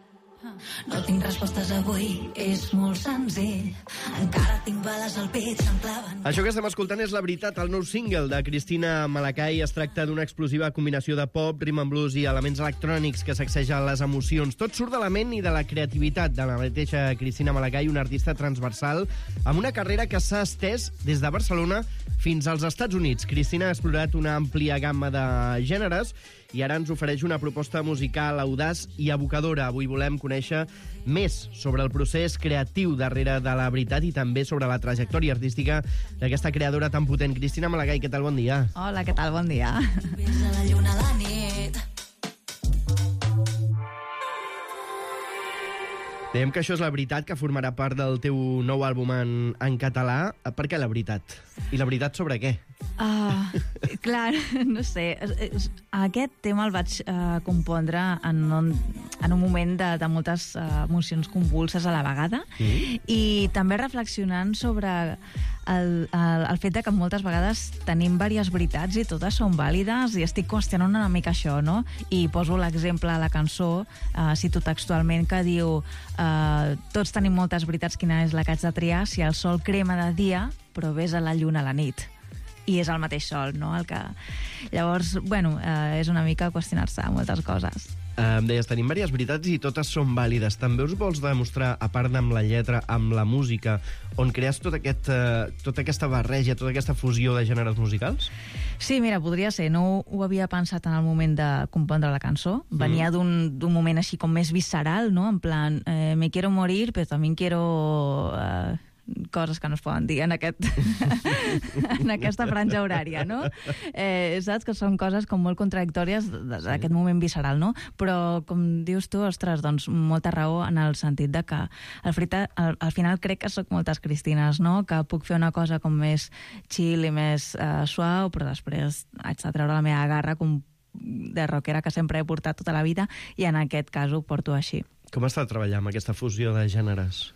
No tinc respostes avui, és molt senzill. Encara tinc bales al pit, se'm claven. Això que estem escoltant és La Veritat, el nou single de Cristina Malacay. Es tracta d'una explosiva combinació de pop, rhythm and blues i elements electrònics que sacsegen les emocions. Tot surt de la ment i de la creativitat de la mateixa Cristina Malacay, una artista transversal amb una carrera que s'ha estès des de Barcelona fins als Estats Units. Cristina ha explorat una àmplia gamma de gèneres i ara ens ofereix una proposta musical audaç i evocadora. Avui volem conèixer més sobre el procés creatiu darrere de La Veritat i també sobre la trajectòria artística d'aquesta creadora tan potent. Cristina Malacay, què tal? Bon dia. Hola, què tal? Bon dia. Ves a la lluna a la nit. Dèiem que això és La Veritat, que formarà part del teu nou àlbum en, en català. Per què La Veritat? I La Veritat sobre què? Uh, clar, no sé. Aquest tema el vaig uh, compondre en un, en un moment de, de moltes uh, emocions convulses a la vegada mm. i també reflexionant sobre el, el, el fet de que moltes vegades tenim diverses veritats i totes són vàlides i estic qüestionant una mica això, no? I poso l'exemple a la cançó, uh, cito textualment, que diu uh, tots tenim moltes veritats, quina és la que haig de triar? Si el sol crema de dia, però ves a la lluna a la nit. I és el mateix sol, no? El que... Llavors, bueno, eh, és una mica qüestionar-se moltes coses. Eh, em deies, tenim diverses veritats i totes són vàlides. També us vols demostrar, a part amb la lletra, amb la música, on crees tot aquest, eh, tota aquesta barreja, tota aquesta fusió de gèneres musicals? Sí, mira, podria ser. No ho havia pensat en el moment de compondre la cançó. Venia mm. d'un moment així com més visceral, no? En plan, eh, me quiero morir, però també quiero... Eh, coses que no es poden dir en, aquest en aquesta franja horària, no? Eh, saps que són coses com molt contradictòries d'aquest moment visceral, no? Però, com dius tu, ostres, doncs molta raó en el sentit de que al, frita, al, al final crec que soc moltes Cristines, no? Que puc fer una cosa com més chill i més uh, suau, però després haig de treure la meva garra com de rockera que sempre he portat tota la vida i en aquest cas ho porto així. Com està treballant amb aquesta fusió de gèneres?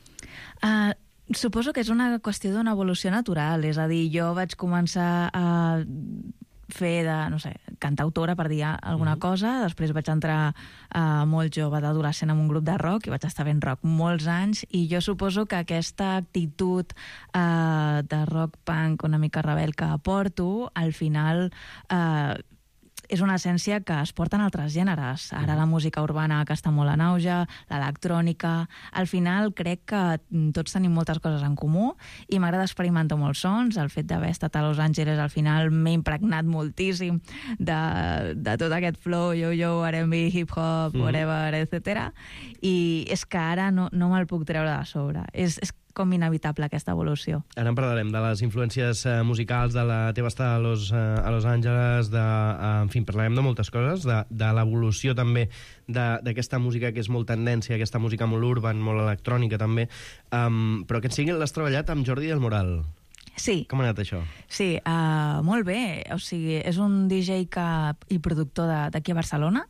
Uh, Suposo que és una qüestió d'una evolució natural, és a dir, jo vaig començar a fer de, no sé, cantautora, per dir alguna mm-hmm. cosa, després vaig entrar uh, molt jove d'adolescent en un grup de rock i vaig estar fent rock molts anys i jo suposo que aquesta actitud uh, de rock punk una mica rebel que porto, al final... Uh, és una essència que es porta en altres gèneres. Ara la música urbana, que està molt en auge, l'electrònica... Al final crec que tots tenim moltes coses en comú i m'agrada experimentar molts sons. El fet d'haver estat a Los Angeles al final m'he impregnat moltíssim de, de tot aquest flow, yo-yo, R and B, hip-hop, whatever, mm. etcètera. I és que ara no, no me'l puc treure de sobre. És, és com inevitable aquesta evolució. Ara en parlarem de les influències uh, musicals, de la teva estada a Los, uh, a Los Angeles, de, uh, en fi, parlarem de moltes coses, de, de l'evolució també d'aquesta música que és molt tendència, aquesta música molt urban, molt electrònica també, um, però aquest single l'has treballat amb Jordi del Moral. Sí. Com ha anat això? Sí, uh, molt bé. O sigui, és un D J que, i productor d'aquí a Barcelona,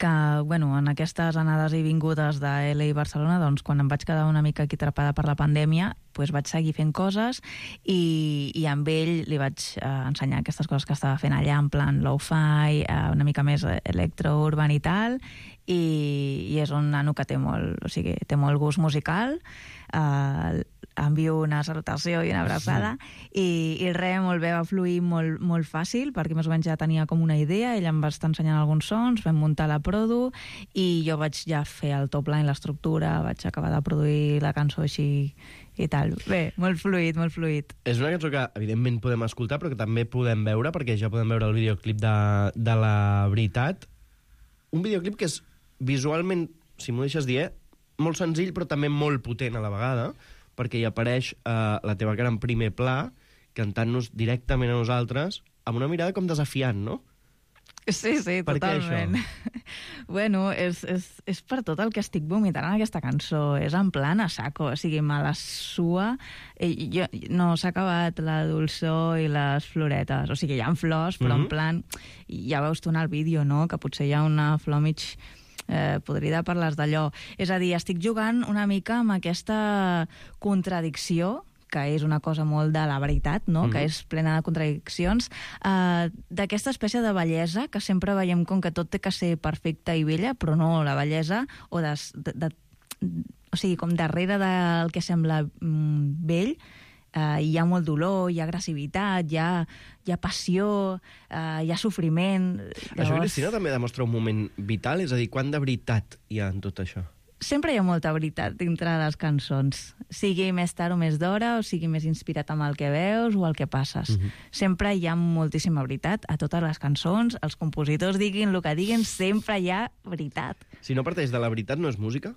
que, bueno, en aquestes anades i vingudes de L A i Barcelona, doncs, quan em vaig quedar una mica aquí atrapada per la pandèmia, doncs vaig seguir fent coses i, i amb ell li vaig eh, ensenyar aquestes coses que estava fent allà, en plan lo-fi, eh, una mica més electro-urban i tal, i, i és un nano que té molt, o sigui, té molt gust musical, eh, envio una salutació i una abraçada, i, i res, molt bé, va fluir molt, molt fàcil, perquè més o menys ja tenia com una idea, ell em va estar ensenyant alguns sons, vam muntar la produ, i jo vaig ja fer el top line, l'estructura, vaig acabar de produir la cançó així i tal. Bé, molt fluid, molt fluid. És una cançó que, evidentment, podem escoltar, però que també podem veure, perquè ja podem veure el videoclip de, de La Veritat. Un videoclip que és visualment, si m'ho deixes dir, molt senzill, però també molt potent a la vegada, perquè hi apareix eh, la teva cara en primer pla, cantant-nos directament a nosaltres, amb una mirada com desafiant, no? Sí, sí, per totalment. Bueno, és, és, és per tot el que estic vomitant en aquesta cançó. És en plan a saco, o sigui, me la sua. I jo, no s'ha acabat la dolçor i les floretes. O sigui, hi ha flors, però mm-hmm. en plan... Ja veus tu en el vídeo, no?, que potser hi ha una flor mig... Eh, podrida per les d'allò. És a dir, estic jugant una mica amb aquesta contradicció, que és una cosa molt de la veritat, no? Mm. que és plena de contradiccions, eh, d'aquesta espècie de bellesa que sempre veiem com que tot té que ser perfecta i bella, però no, la bellesa, o de, de, de, o sigui, com darrere del que sembla mm, bell, Uh, hi ha molt dolor, hi ha agressivitat, hi ha, hi ha passió, uh, hi ha sofriment. Llavors... Això, Cristina, també demostra un moment vital? És a dir, quant de veritat hi ha en tot això? Sempre hi ha molta veritat dintre de les cançons. Sigui més tard o més d'hora, o sigui més inspirat amb el que veus o el que passes. Uh-huh. Sempre hi ha moltíssima veritat a totes les cançons. Els compositors diguin el que diguin, sempre hi ha veritat. Si no parteix de la veritat, no és música?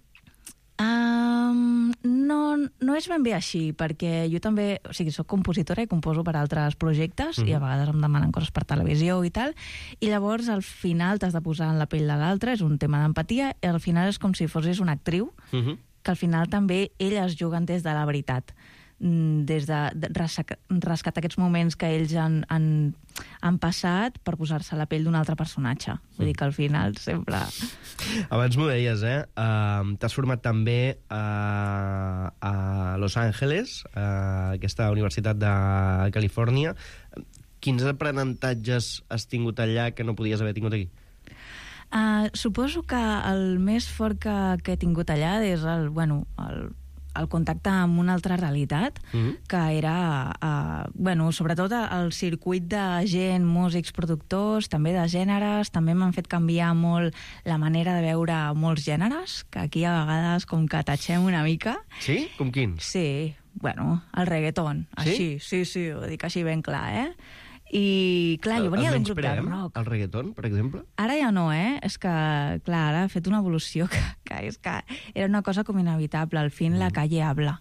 Um, no, no és ben bé així, perquè jo també, o sigui, soc compositora i composo per altres projectes, mm-hmm. i a vegades em demanen coses per televisió i tal, i llavors al final t'has de posar en la pell de l'altre, és un tema d'empatia, i al final és com si fossis una actriu, mm-hmm. que al final també elles juguen des de la veritat, des de, de rescatar aquests moments que ells han, han, han passat per posar-se a la pell d'un altre personatge. Vull dir que al final sempre... Abans m'ho deies, eh? Uh, T'has format també uh, a Los Angeles, uh, aquesta universitat de Califòrnia. Quins aprenentatges has tingut allà que no podies haver tingut aquí? Uh, suposo que el més fort que, que he tingut allà és el, bueno, el el contacte amb una altra realitat, mm-hmm. que era, uh, bueno, sobretot el circuit de gent, músics, productors, també de gèneres, també m'han fet canviar molt la manera de veure molts gèneres, que aquí a vegades com que tatxem una mica. Sí? Com quins? Sí, bueno, el reggaeton, sí? Així, sí, sí, ho dic així ben clar, eh? I, clar, jo venia d'un grup de rock. El reggaeton, per exemple? Ara ja no, eh? És que, clar, ara ha fet una evolució que, que és que era una cosa com inevitable. Al fin, mm. la calle habla.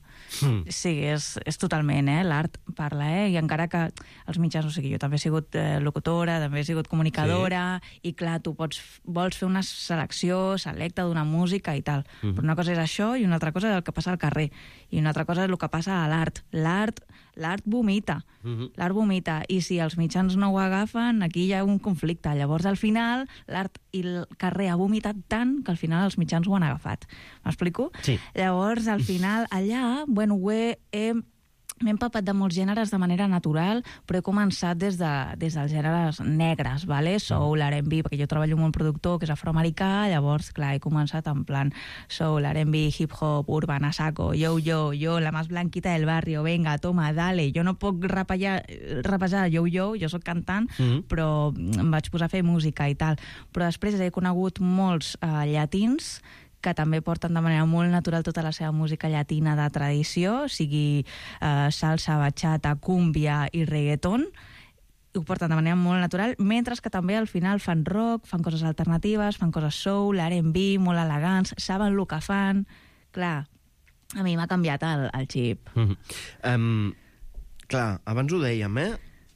Mm. Sí, és, és totalment, eh? L'art parla, eh? I encara que els mitjans, o sigui, jo també he sigut eh, locutora, també he sigut comunicadora, sí. I clar, tu pots, vols fer una selecció selecta d'una música i tal. Mm. Però una cosa és això i una altra cosa és el que passa al carrer. I una altra cosa és el que passa a l'art. L'art l'art vomita. Mm-hmm. L'art vomita. I si els mitjans no ho agafen, aquí hi ha un conflicte. Llavors, al final, l'art i el carrer ha vomitat tant que al final els mitjans ho han agafat. M'explico? Sí. Llavors, al final, allà, bueno, ho he, he m'he empapat de molts gèneres de manera natural, però he començat des, de, des dels gèneres negres, vale? Soul, R and B, perquè jo treballo amb un productor que és afroamericà, llavors, clar, he començat en plan soul, R and B, hip-hop, urban, a saco, yo, yo, yo, la más blanquita del barrio, venga, toma, dale. Jo no puc rapejar, rapejar yo, yo, jo sóc cantant, mm-hmm. però em vaig posar a fer música i tal. Però després he conegut molts uh, llatins que també porten de manera molt natural tota la seva música llatina de tradició, sigui eh, salsa, bachata, cúmbia i reggaeton, ho porten de manera molt natural, mentre que també al final fan rock, fan coses alternatives, fan coses soul, R and B, molt elegants, saben el que fan. Clar, a mi m'ha canviat el, el xip. Mm-hmm. um, clar, abans ho dèiem, eh?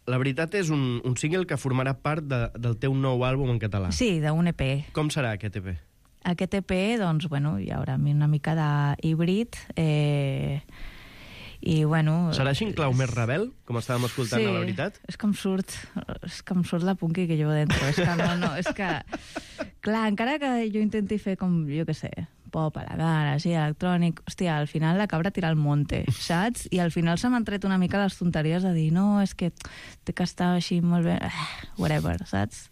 La veritat és un, un single que formarà part de, del teu nou àlbum en català. Sí, d'un E P. Com serà aquest E P? Aquest E P, doncs, bueno, hi haurà una mica d'híbrid, eh, i, bueno... Serà així en clau més rebel, com estàvem escoltant, sí, a la veritat? és que em surt, és que em surt la punky que llevo dentro, és que no, no, és que... Clar, encara que jo intenti fer com, jo què sé, pop a la cara, així, electrònic, hòstia, al final la cabra tira al monte, saps? I al final se m'han tret una mica les tonteries de dir, no, és que té que estar així molt bé, whatever, saps?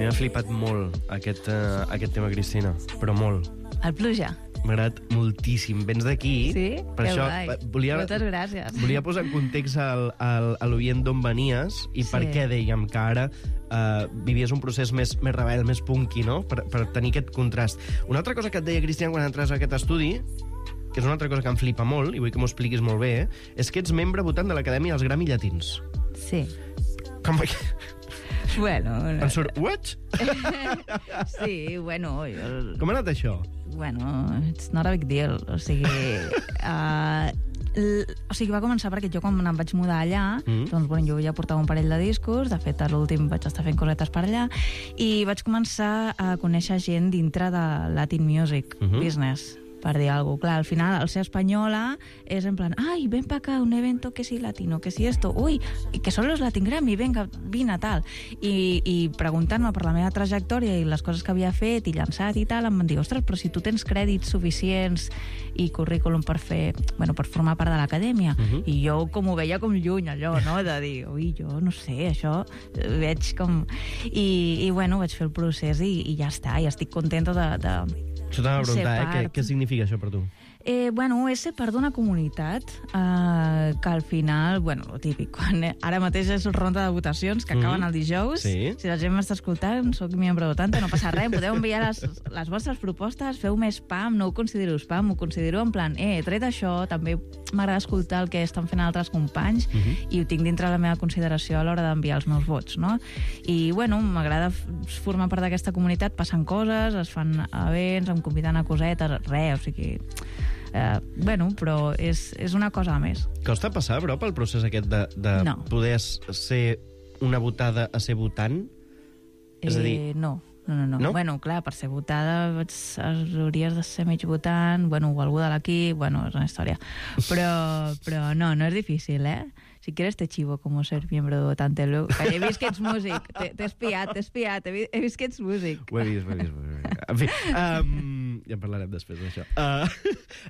M'ha flipat molt aquest, uh, aquest tema, Cristina, però molt. El pluja? M'ha agradat moltíssim. Vens d'aquí. Sí? Per que això, guai. Volia, Moltes gràcies. Volia posar en context al, al, a l'oient d'on venies i sí. per què dèiem que ara uh, vivies un procés més, més rebel, més punky, no? Per, per tenir aquest contrast. Una altra cosa que et deia, Cristian, quan entres a aquest estudi, que és una altra cosa que em flipa molt, i vull que m'ho expliquis molt bé, és que ets membre votant de l'Acadèmia dels Grammy Llatins. Sí. Com que... Bueno... Em surt, what? Sí, bueno... Jo... Com ha anat això? Bueno, it's not a big deal. O sigui... Uh, l... O sigui, va començar perquè jo quan em vaig mudar allà, mm. doncs, bueno, jo ja portava un parell de discos, de fet, a l'últim vaig estar fent cosetes per allà, i vaig començar a conèixer gent dintre de Latin Music mm-hmm. Business, per dir alguna cosa. Clar, al final, el ser espanyola és en plan, ai, ven pa acá, un evento que si latino, que si esto, ui, que són los Latin Grammy, venga, vine, tal. I, i preguntant-me per la meva trajectòria i les coses que havia fet i llançat i tal, em van dir, ostres, però si tu tens crèdits suficients i currículum per fer, bueno, per formar part de l'acadèmia, uh-huh. i jo com ho veia com lluny, allò, no?, de dir, ui, jo no sé, això, veig com... I, i bueno, vaig fer el procés i, i ja està, i estic contenta de... de Això t'anava a preguntar, eh? Què, què significa això per tu? Eh, bueno, és ser part d'una comunitat eh, que al final, bueno, lo típic, quan ara mateix és ronda de votacions que acaben mm. el dijous, sí. Si la gent m'està escoltant, soc membre votante, no passa res, podeu enviar les, les vostres propostes, feu més spam, no ho considero spam, ho considero en plan, eh, tret això, també m'agrada escoltar el que estan fent altres companys mm-hmm. i ho tinc dintre la meva consideració a l'hora d'enviar els meus vots, no? I, bueno, m'agrada formar part d'aquesta comunitat, passen coses, es fan events, em conviden a cosetes, res, o sigui... Uh, bueno, però és, és una cosa a més. Costa passar, però, pel procés aquest de, de no. poder ser una votada a ser votant? Eh, és a dir... No. No, no, no, no. Bueno, clar, per ser votada hauries de ser mig votant, bueno, o algú de l'equip, bueno, és una història. Però, però no, no és difícil, eh? Si quieres te chivo como ser miembro de votante. Que he vist que ets músic. T'he espiat, t'he espiat. He, he vist que ets músic. Ho he vist, ho he vist. Ho he vist. En fi, um, ja en parlarem després d'això. Uh,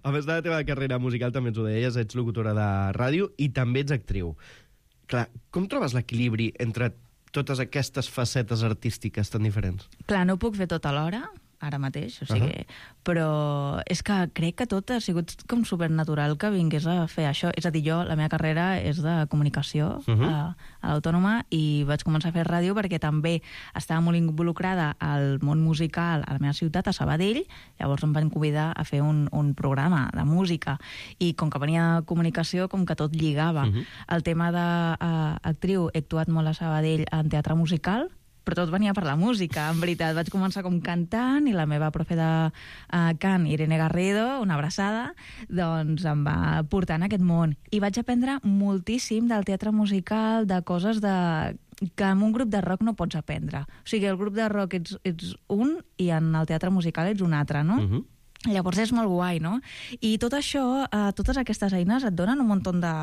a més de la teva carrera musical, també ens ho deies, ets locutora de ràdio i també ets actriu. Clar, com trobes l'equilibri entre totes aquestes facetes artístiques tan diferents? Clar, no puc fer tot alhora, ara mateix, o sigui... Uh-huh. Però és que crec que tot ha sigut com supernatural que vingués a fer això. És a dir, jo, la meva carrera és de comunicació uh-huh. a, a l'Autònoma i vaig començar a fer ràdio perquè també estava molt involucrada al món musical a la meva ciutat, a Sabadell. Llavors em van convidar a fer un, un programa de música i com que venia de comunicació, com que tot lligava. Uh-huh. El tema d'actriu, he actuat molt a Sabadell en teatre musical, però tot venia per la música, en veritat. Vaig començar com cantant i la meva profe de uh, cant, Irene Garrido, una abraçada, doncs em va portar en aquest món. I vaig aprendre moltíssim del teatre musical, de coses de... que en un grup de rock no pots aprendre. O sigui, el grup de rock ets, ets un i en el teatre musical ets un altre, no? Uh-huh. Llavors és molt guai, no? I tot això, eh, totes aquestes eines et donen un munt de,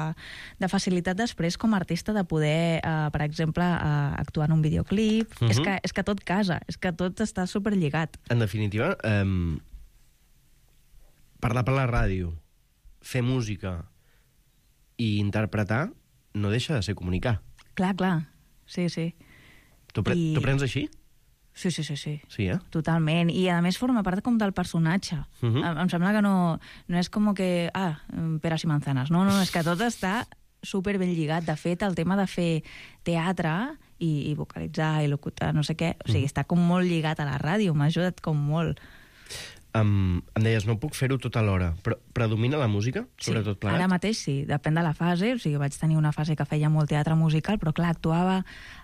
de facilitat després com a artista de poder, eh, per exemple, eh, actuar en un videoclip. Uh-huh. És, que, és que tot casa, és que tot està superlligat. En definitiva, eh, parlar per la ràdio, fer música i interpretar no deixa de ser comunicar. Clar, clar, sí, sí. Tu, pre I... tu prens així? Sí, sí, sí, sí. Sí, eh? Totalment. I, a més, forma part com del personatge. Uh-huh. em, em sembla que no, no és com que... Ah, peras i manzanas. No, no, és que tot està super ben lligat. De fet, el tema de fer teatre i, i vocalitzar i locutar, no sé què, o sigui, uh-huh. està com molt lligat a la ràdio. M'ha ajudat com molt. Um, em deies, no puc fer-ho tot alhora, però predomina la música, sobretot sí, plegat? Ara mateix sí, depèn de la fase, o sigui, vaig tenir una fase que feia molt teatre musical, però clar, actuava,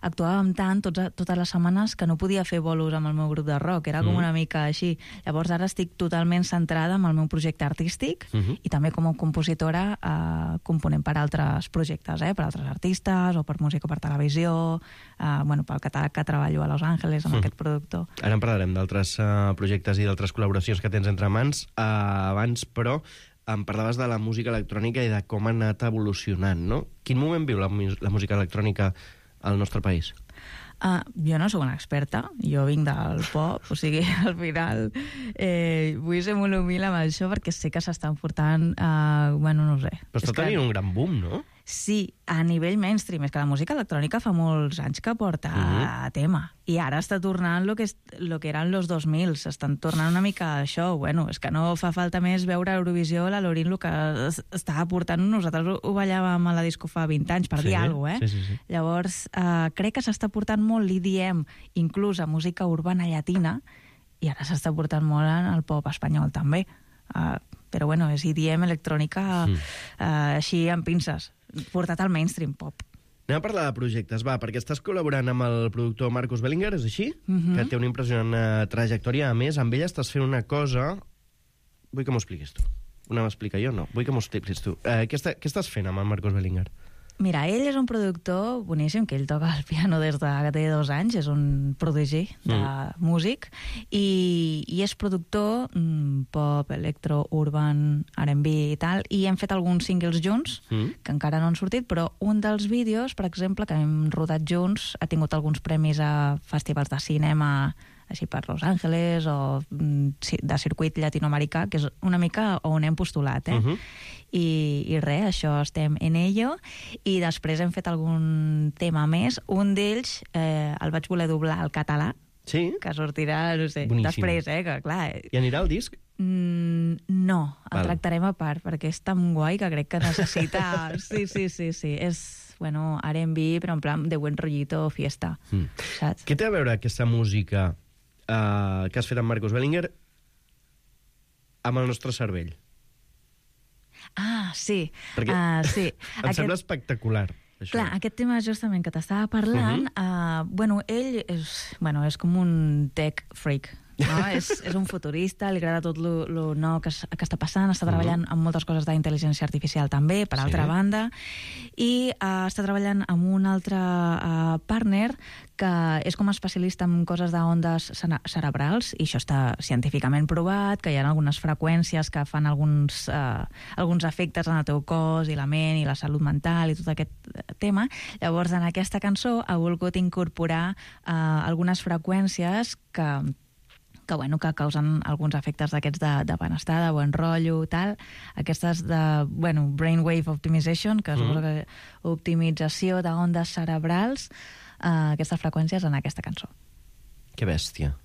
actuàvem tant tots, totes les setmanes que no podia fer bolos amb el meu grup de rock, era com mm. una mica així. Llavors ara estic totalment centrada en el meu projecte artístic mm -hmm. i també com a compositora eh, component per altres projectes, eh, per altres artistes o per música per televisió, eh, bueno, pel catàleg que treballo a Los Angeles amb mm. aquest productor. Ara en parlarem d'altres uh, projectes i d'altres col·laboracions que tens entre mans. Uh, abans, però, em parlaves de la música electrònica i de com ha anat evolucionant, no? Quin moment viu la, la música electrònica al nostre país? Uh, jo no sóc una experta, jo vinc del pop, o sigui, al final eh, vull ser molt humil amb això perquè sé que s'estan portant, uh, bueno, no ho sé. Però està tenint que... un gran boom, no? Sí, a nivell mainstream. És que la música electrònica fa molts anys que porta uh-huh. tema. I ara està tornant lo que, és, lo que eren los dos mil. S'estan tornant una mica a això. Bueno, és que no fa falta més veure Eurovisió, la Lorin, el que estava portant. Nosaltres ho, ho ballàvem a la disco fa vint anys, per sí, dir alguna cosa, eh? Sí, sí, sí. Llavors, eh, crec que s'està portant molt l'E D M, inclús a música urbana llatina, i ara s'està portant molt en el pop espanyol, també. Uh, però, bueno, és E D M electrònica mm. uh, així amb pinces, portat al mainstream pop. Anem a parlar de projectes, va, perquè estàs col·laborant amb el productor Marcus Bellinger, és així? Mm-hmm. Que té una impressionant trajectòria. A més, amb ell estàs fent una cosa... Vull que m'ho expliquis tu. Una m'explica jo, no. Vull que m'ho expliquis tu. Eh, què, està, què estàs fent amb el Marcus Bellinger? Mira, ell és un productor boníssim, que ell toca el piano des de que té dos anys, és un prodigi de mm. músic, i, i és productor mm, pop, electro, urban, R and B i tal, i hem fet alguns singles junts, mm. que encara no han sortit, però un dels vídeos, per exemple, que hem rodat junts, ha tingut alguns premis a festivals de cinema així per Los Angeles o de circuit llatinoamericà, que és una mica on hem postulat, eh? Uh-huh. I, i res, això estem en ello, i després hem fet algun tema més. Un d'ells eh, el vaig voler doblar al català, sí? Que sortirà, no sé, boníssim. Després, eh, que clar... Eh... I anirà al disc? Mm, no, el Val. tractarem a part, perquè és tan guai que crec que necessita... Sí, sí, sí, sí, és... Bueno, R and B, però en plan de buen rollito fiesta, mm. saps? Què té a veure aquesta música Uh, que has fet amb Marcus Bellinger amb el nostre cervell? Ah, sí. Perquè uh, sí. em aquest... sembla espectacular. Això. Clar, aquest tema justament que t'estava parlant, uh -huh. uh, bueno, ell és, bueno, és com un tech freak, no? és, és un futurista, li agrada tot lo, lo nou que, que està passant, està treballant uh -huh. amb moltes coses d'intel·ligència artificial també, per sí. altra banda, i uh, està treballant amb un altre uh, partner que és com a especialista en coses d'ondes cerebrals, i això està científicament provat, que hi ha algunes freqüències que fan alguns, uh, alguns efectes en el teu cos i la ment i la salut mental i tot aquest tema. Llavors, en aquesta cançó ha volgut incorporar uh, algunes freqüències que que, bueno, que causen alguns efectes d'aquests de, de benestar, de bon rotllo, tal. Aquestes de, bueno, brainwave optimization, que mm. suposo que optimització d'ondes cerebrals, uh, aquestes freqüències en aquesta cançó. Que bèstia.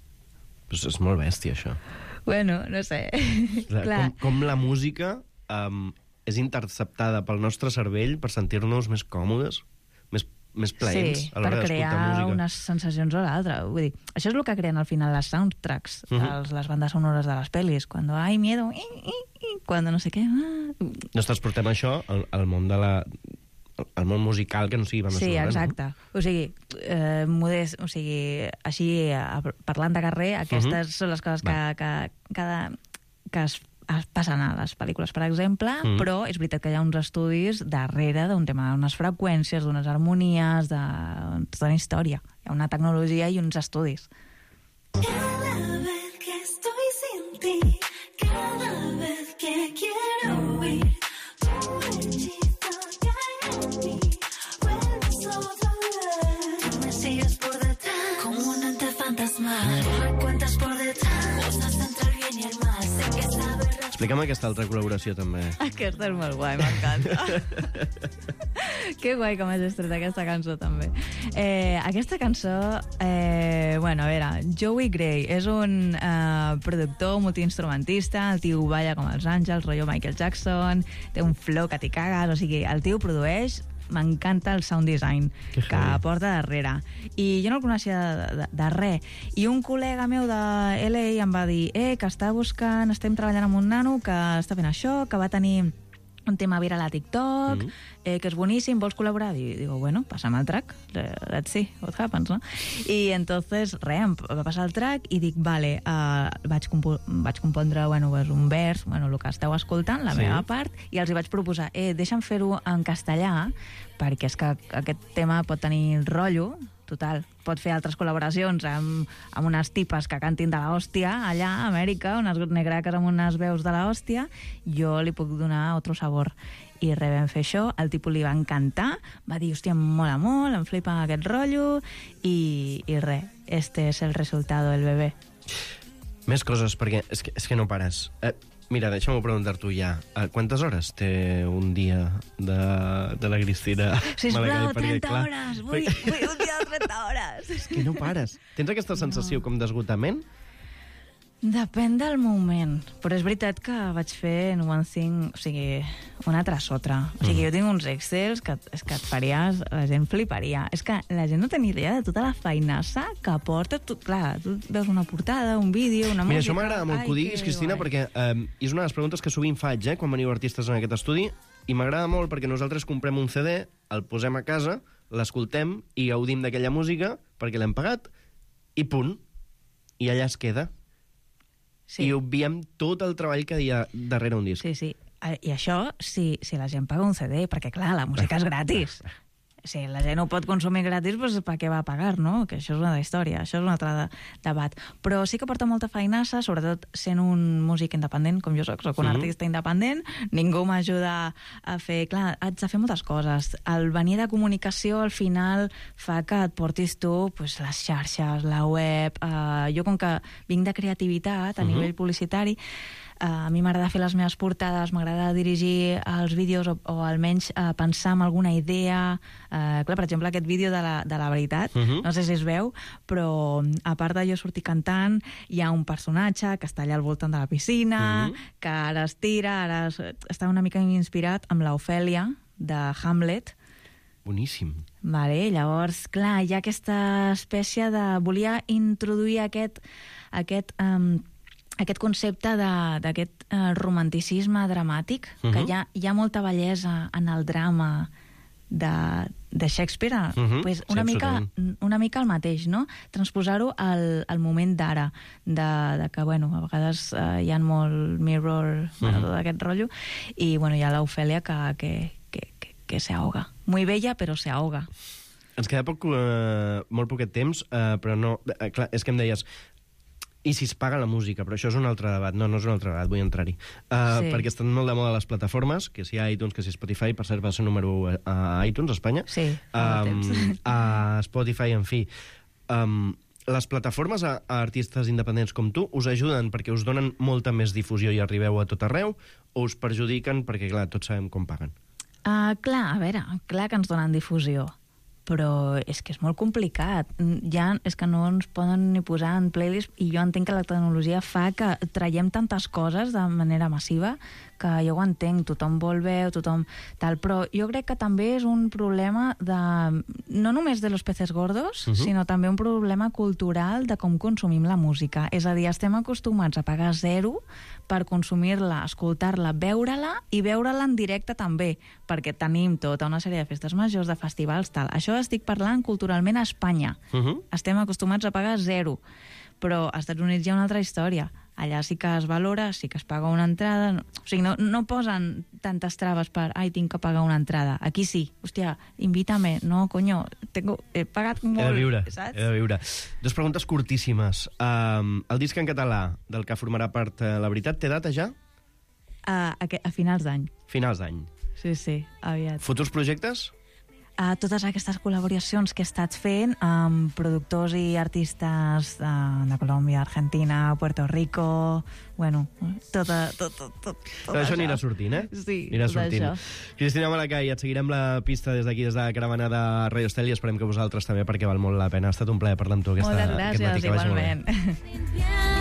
Pues és molt bèstia, això. Bueno, no sé. Clar, com, com la música um, és interceptada pel nostre cervell per sentir-nos més còmodes, més més plaents sí, a l'hora d'escoltar música. Sí, per crear unes sensacions o l'altra. Vull dir, això és el que creen al final les soundtracks, uh -huh. els, les bandes sonores de les pel·lis. Cuando hay miedo, i, i, i, cuando no sé què... Ah. Nos transportem això al, al món de la... el món musical que no sigui banda sí, sonora. exacte. No? O sigui, eh, modest, o sigui, així, eh, parlant de carrer, aquestes uh-huh. són les coses que, que, que, que es, es passen a les pel·lícules, per exemple, uh-huh. però és veritat que hi ha uns estudis darrere d'un tema, d'unes freqüències, d'unes harmonies, de tota una història. Hi ha una tecnologia i uns estudis. Cada vez que estoy sin ti, cada vez que quiero huir, tu hechizo cae en mí, vuelves otra vez. Me sigues por detrás, como un ente fantasmal, me cuentas por detrás, cosas entre el bien y el mal, sé que sabes... Explica'm aquesta altra col·laboració, també. Aquesta és molt guai, m'encanta. Que guai que m'has estret aquesta cançó, també. Eh, aquesta cançó, eh, bueno, a veure, Joey Gray és un eh, productor multiinstrumentista, el tio balla com els àngels, rotllo Michael Jackson, té un flow que t'hi cagues, o sigui, el tio produeix, m'encanta el sound design que, que porta darrere. I jo no el coneixia de, de, de res. I un col·lega meu de L A em va dir eh, que està buscant, estem treballant amb un nano que està fent això, que va tenir un tema viral a TikTok, mm-hmm. eh, que és boníssim, vols col·laborar? I digo, bueno, passa'm el track, let's see what happens, no? I entonces, res, em va passar el track i dic, vale, uh, vaig, compo vaig compondre, bueno, pues un vers, bueno, el que esteu escoltant, la sí. meva part, i els hi vaig proposar, eh, deixa'm fer-ho en castellà, perquè és que aquest tema pot tenir rotllo, total, pot fer altres col·laboracions amb, amb unes tipes que cantin de l'hòstia allà a Amèrica, unes negraques amb unes veus de l'hòstia, jo li puc donar otro sabor. I res, vam fer això, el tipus li va encantar, va dir, hòstia, em mola molt, em flipa aquest rotllo, i, i res, este és el resultado del bebé. Més coses, perquè és que, és que no pares. Eh, mira, deixa'm preguntar-t'ho ja. Uh, quantes hores té un dia de, de la Cristina? Sisplau, trenta clar, hores! Vull, vull un dia de trenta hores! És que no pares. Tens aquesta sensació no. com d'esgotament? Depèn del moment, però és veritat que vaig fent one thing, o sigui, una tras otra. O sigui, mm. jo tinc uns excels que, és que et faries, la gent fliparia. És que la gent no té ni idea de tota la feinassa que porta. Tu, clar, tu veus una portada, un vídeo, una Mira, música... Mira, això m'agrada molt que ho diguis, Cristina, guai. perquè eh, és una de les preguntes que sovint faig, eh, quan veniu artistes en aquest estudi, i m'agrada molt perquè nosaltres comprem un C D, el posem a casa, l'escoltem i gaudim d'aquella música perquè l'hem pagat, i punt. I allà es queda. Sí. I obviem tot el treball que hi ha darrere un disc. Sí, sí. I això, si, si la gent paga un C D, perquè, clar, la música és gratis. Si la gent ho pot consumir gratis, doncs per què va pagar, no? Que això és una història, això és un altre de, debat. Però sí que porta molta feinassa, sobretot sent un músic independent, com jo soc, soc un mm-hmm. artista independent, ningú m'ajuda a fer... Clar, haig de fer moltes coses. El venir de comunicació, al final, fa que et portis tu pues, les xarxes, la web... Eh, jo, com que vinc de creativitat a mm-hmm. nivell publicitari, Uh, a mi m'agrada fer les meves portades, m'agrada dirigir els vídeos o, o almenys uh, pensar en alguna idea. Uh, clar, per exemple, aquest vídeo de la, de la veritat, uh-huh. no sé si es veu, però a part de jo sortir cantant, hi ha un personatge que està allà al voltant de la piscina, uh-huh. que ara es tira, ara es, està una mica inspirat amb l'Ofèlia de Hamlet. Boníssim. Vale, llavors, clar, hi ha aquesta espècie de... Volia introduir aquest... aquest um, aquest concepte d'aquest uh, romanticisme dramàtic, uh-huh. que hi ha, hi ha molta bellesa en el drama de, de Shakespeare, uh-huh. pues una, sí, mica, una mica el mateix, no? Transposar-ho al, al moment d'ara, de, de que, bueno, a vegades uh, hi ha molt mirror, uh-huh. bueno, tot aquest rotllo, i, bueno, hi ha l'Ofèlia que, que, que, que, que se ahoga. Muy bella, però se ahoga. Ens queda poc, uh, molt poquet temps, uh, però no... Uh, clar, és que em deies... I si es paga la música, però això és un altre debat. No, no és un altre debat, vull entrar-hi. Uh, sí. Perquè estan molt de moda les plataformes, que si hi ha iTunes, que si Spotify, per cert va ser número u a iTunes, a Espanya. Sí, um, a Spotify, en fi. Um, les plataformes a, a artistes independents com tu us ajuden perquè us donen molta més difusió i arribeu a tot arreu, o us perjudiquen perquè, clar, tots sabem com paguen? Uh, clar, a veure, clar que ens donen difusió, però és que és molt complicat. Ja és que no ens poden ni posar en playlist, i jo entenc que la tecnologia fa que traiem tantes coses de manera massiva que jo ho entenc, tothom vol veu, tothom tal, però jo crec que també és un problema de, no només de los peces gordos, uh-huh. sinó també un problema cultural de com consumim la música. És a dir, estem acostumats a pagar zero per consumir-la, escoltar-la, veure-la i veure-la en directe també, perquè tenim tota una sèrie de festes majors, de festivals, tal. Això estic parlant culturalment a Espanya. Uh-huh. Estem acostumats a pagar zero, però als Estats Units hi ha una altra història. Allà sí que es valora, sí que es paga una entrada... No, o sigui, no, no posen tantes traves per ai, tinc que pagar una entrada. Aquí sí. Hòstia, invítame. No, coño, tengo, he pagat molt. He de viure, saps? he de viure. Dos preguntes curtíssimes. Um, el disc en català, del que formarà part uh, La Veritat, té data ja? A, a, a finals d'any. Finals d'any. Sí, sí, aviat. Futurs projectes? Uh, totes aquestes col·laboracions que he estat fent amb productors i artistes uh, de Colòmbia, Argentina, Puerto Rico... Bueno, tota, tot, tot, tot, tot això. Això anirà sortint, eh? Sí, anirà tot sortint. això. Cristina Malacay, et seguirem la pista des d'aquí, des de la caravana de Radio Estel, i esperem que vosaltres també, perquè val molt la pena. Ha estat un plaer parlar amb tu aquesta, Moltes gràcies, aquest matí, que vagi molt bé. igualment.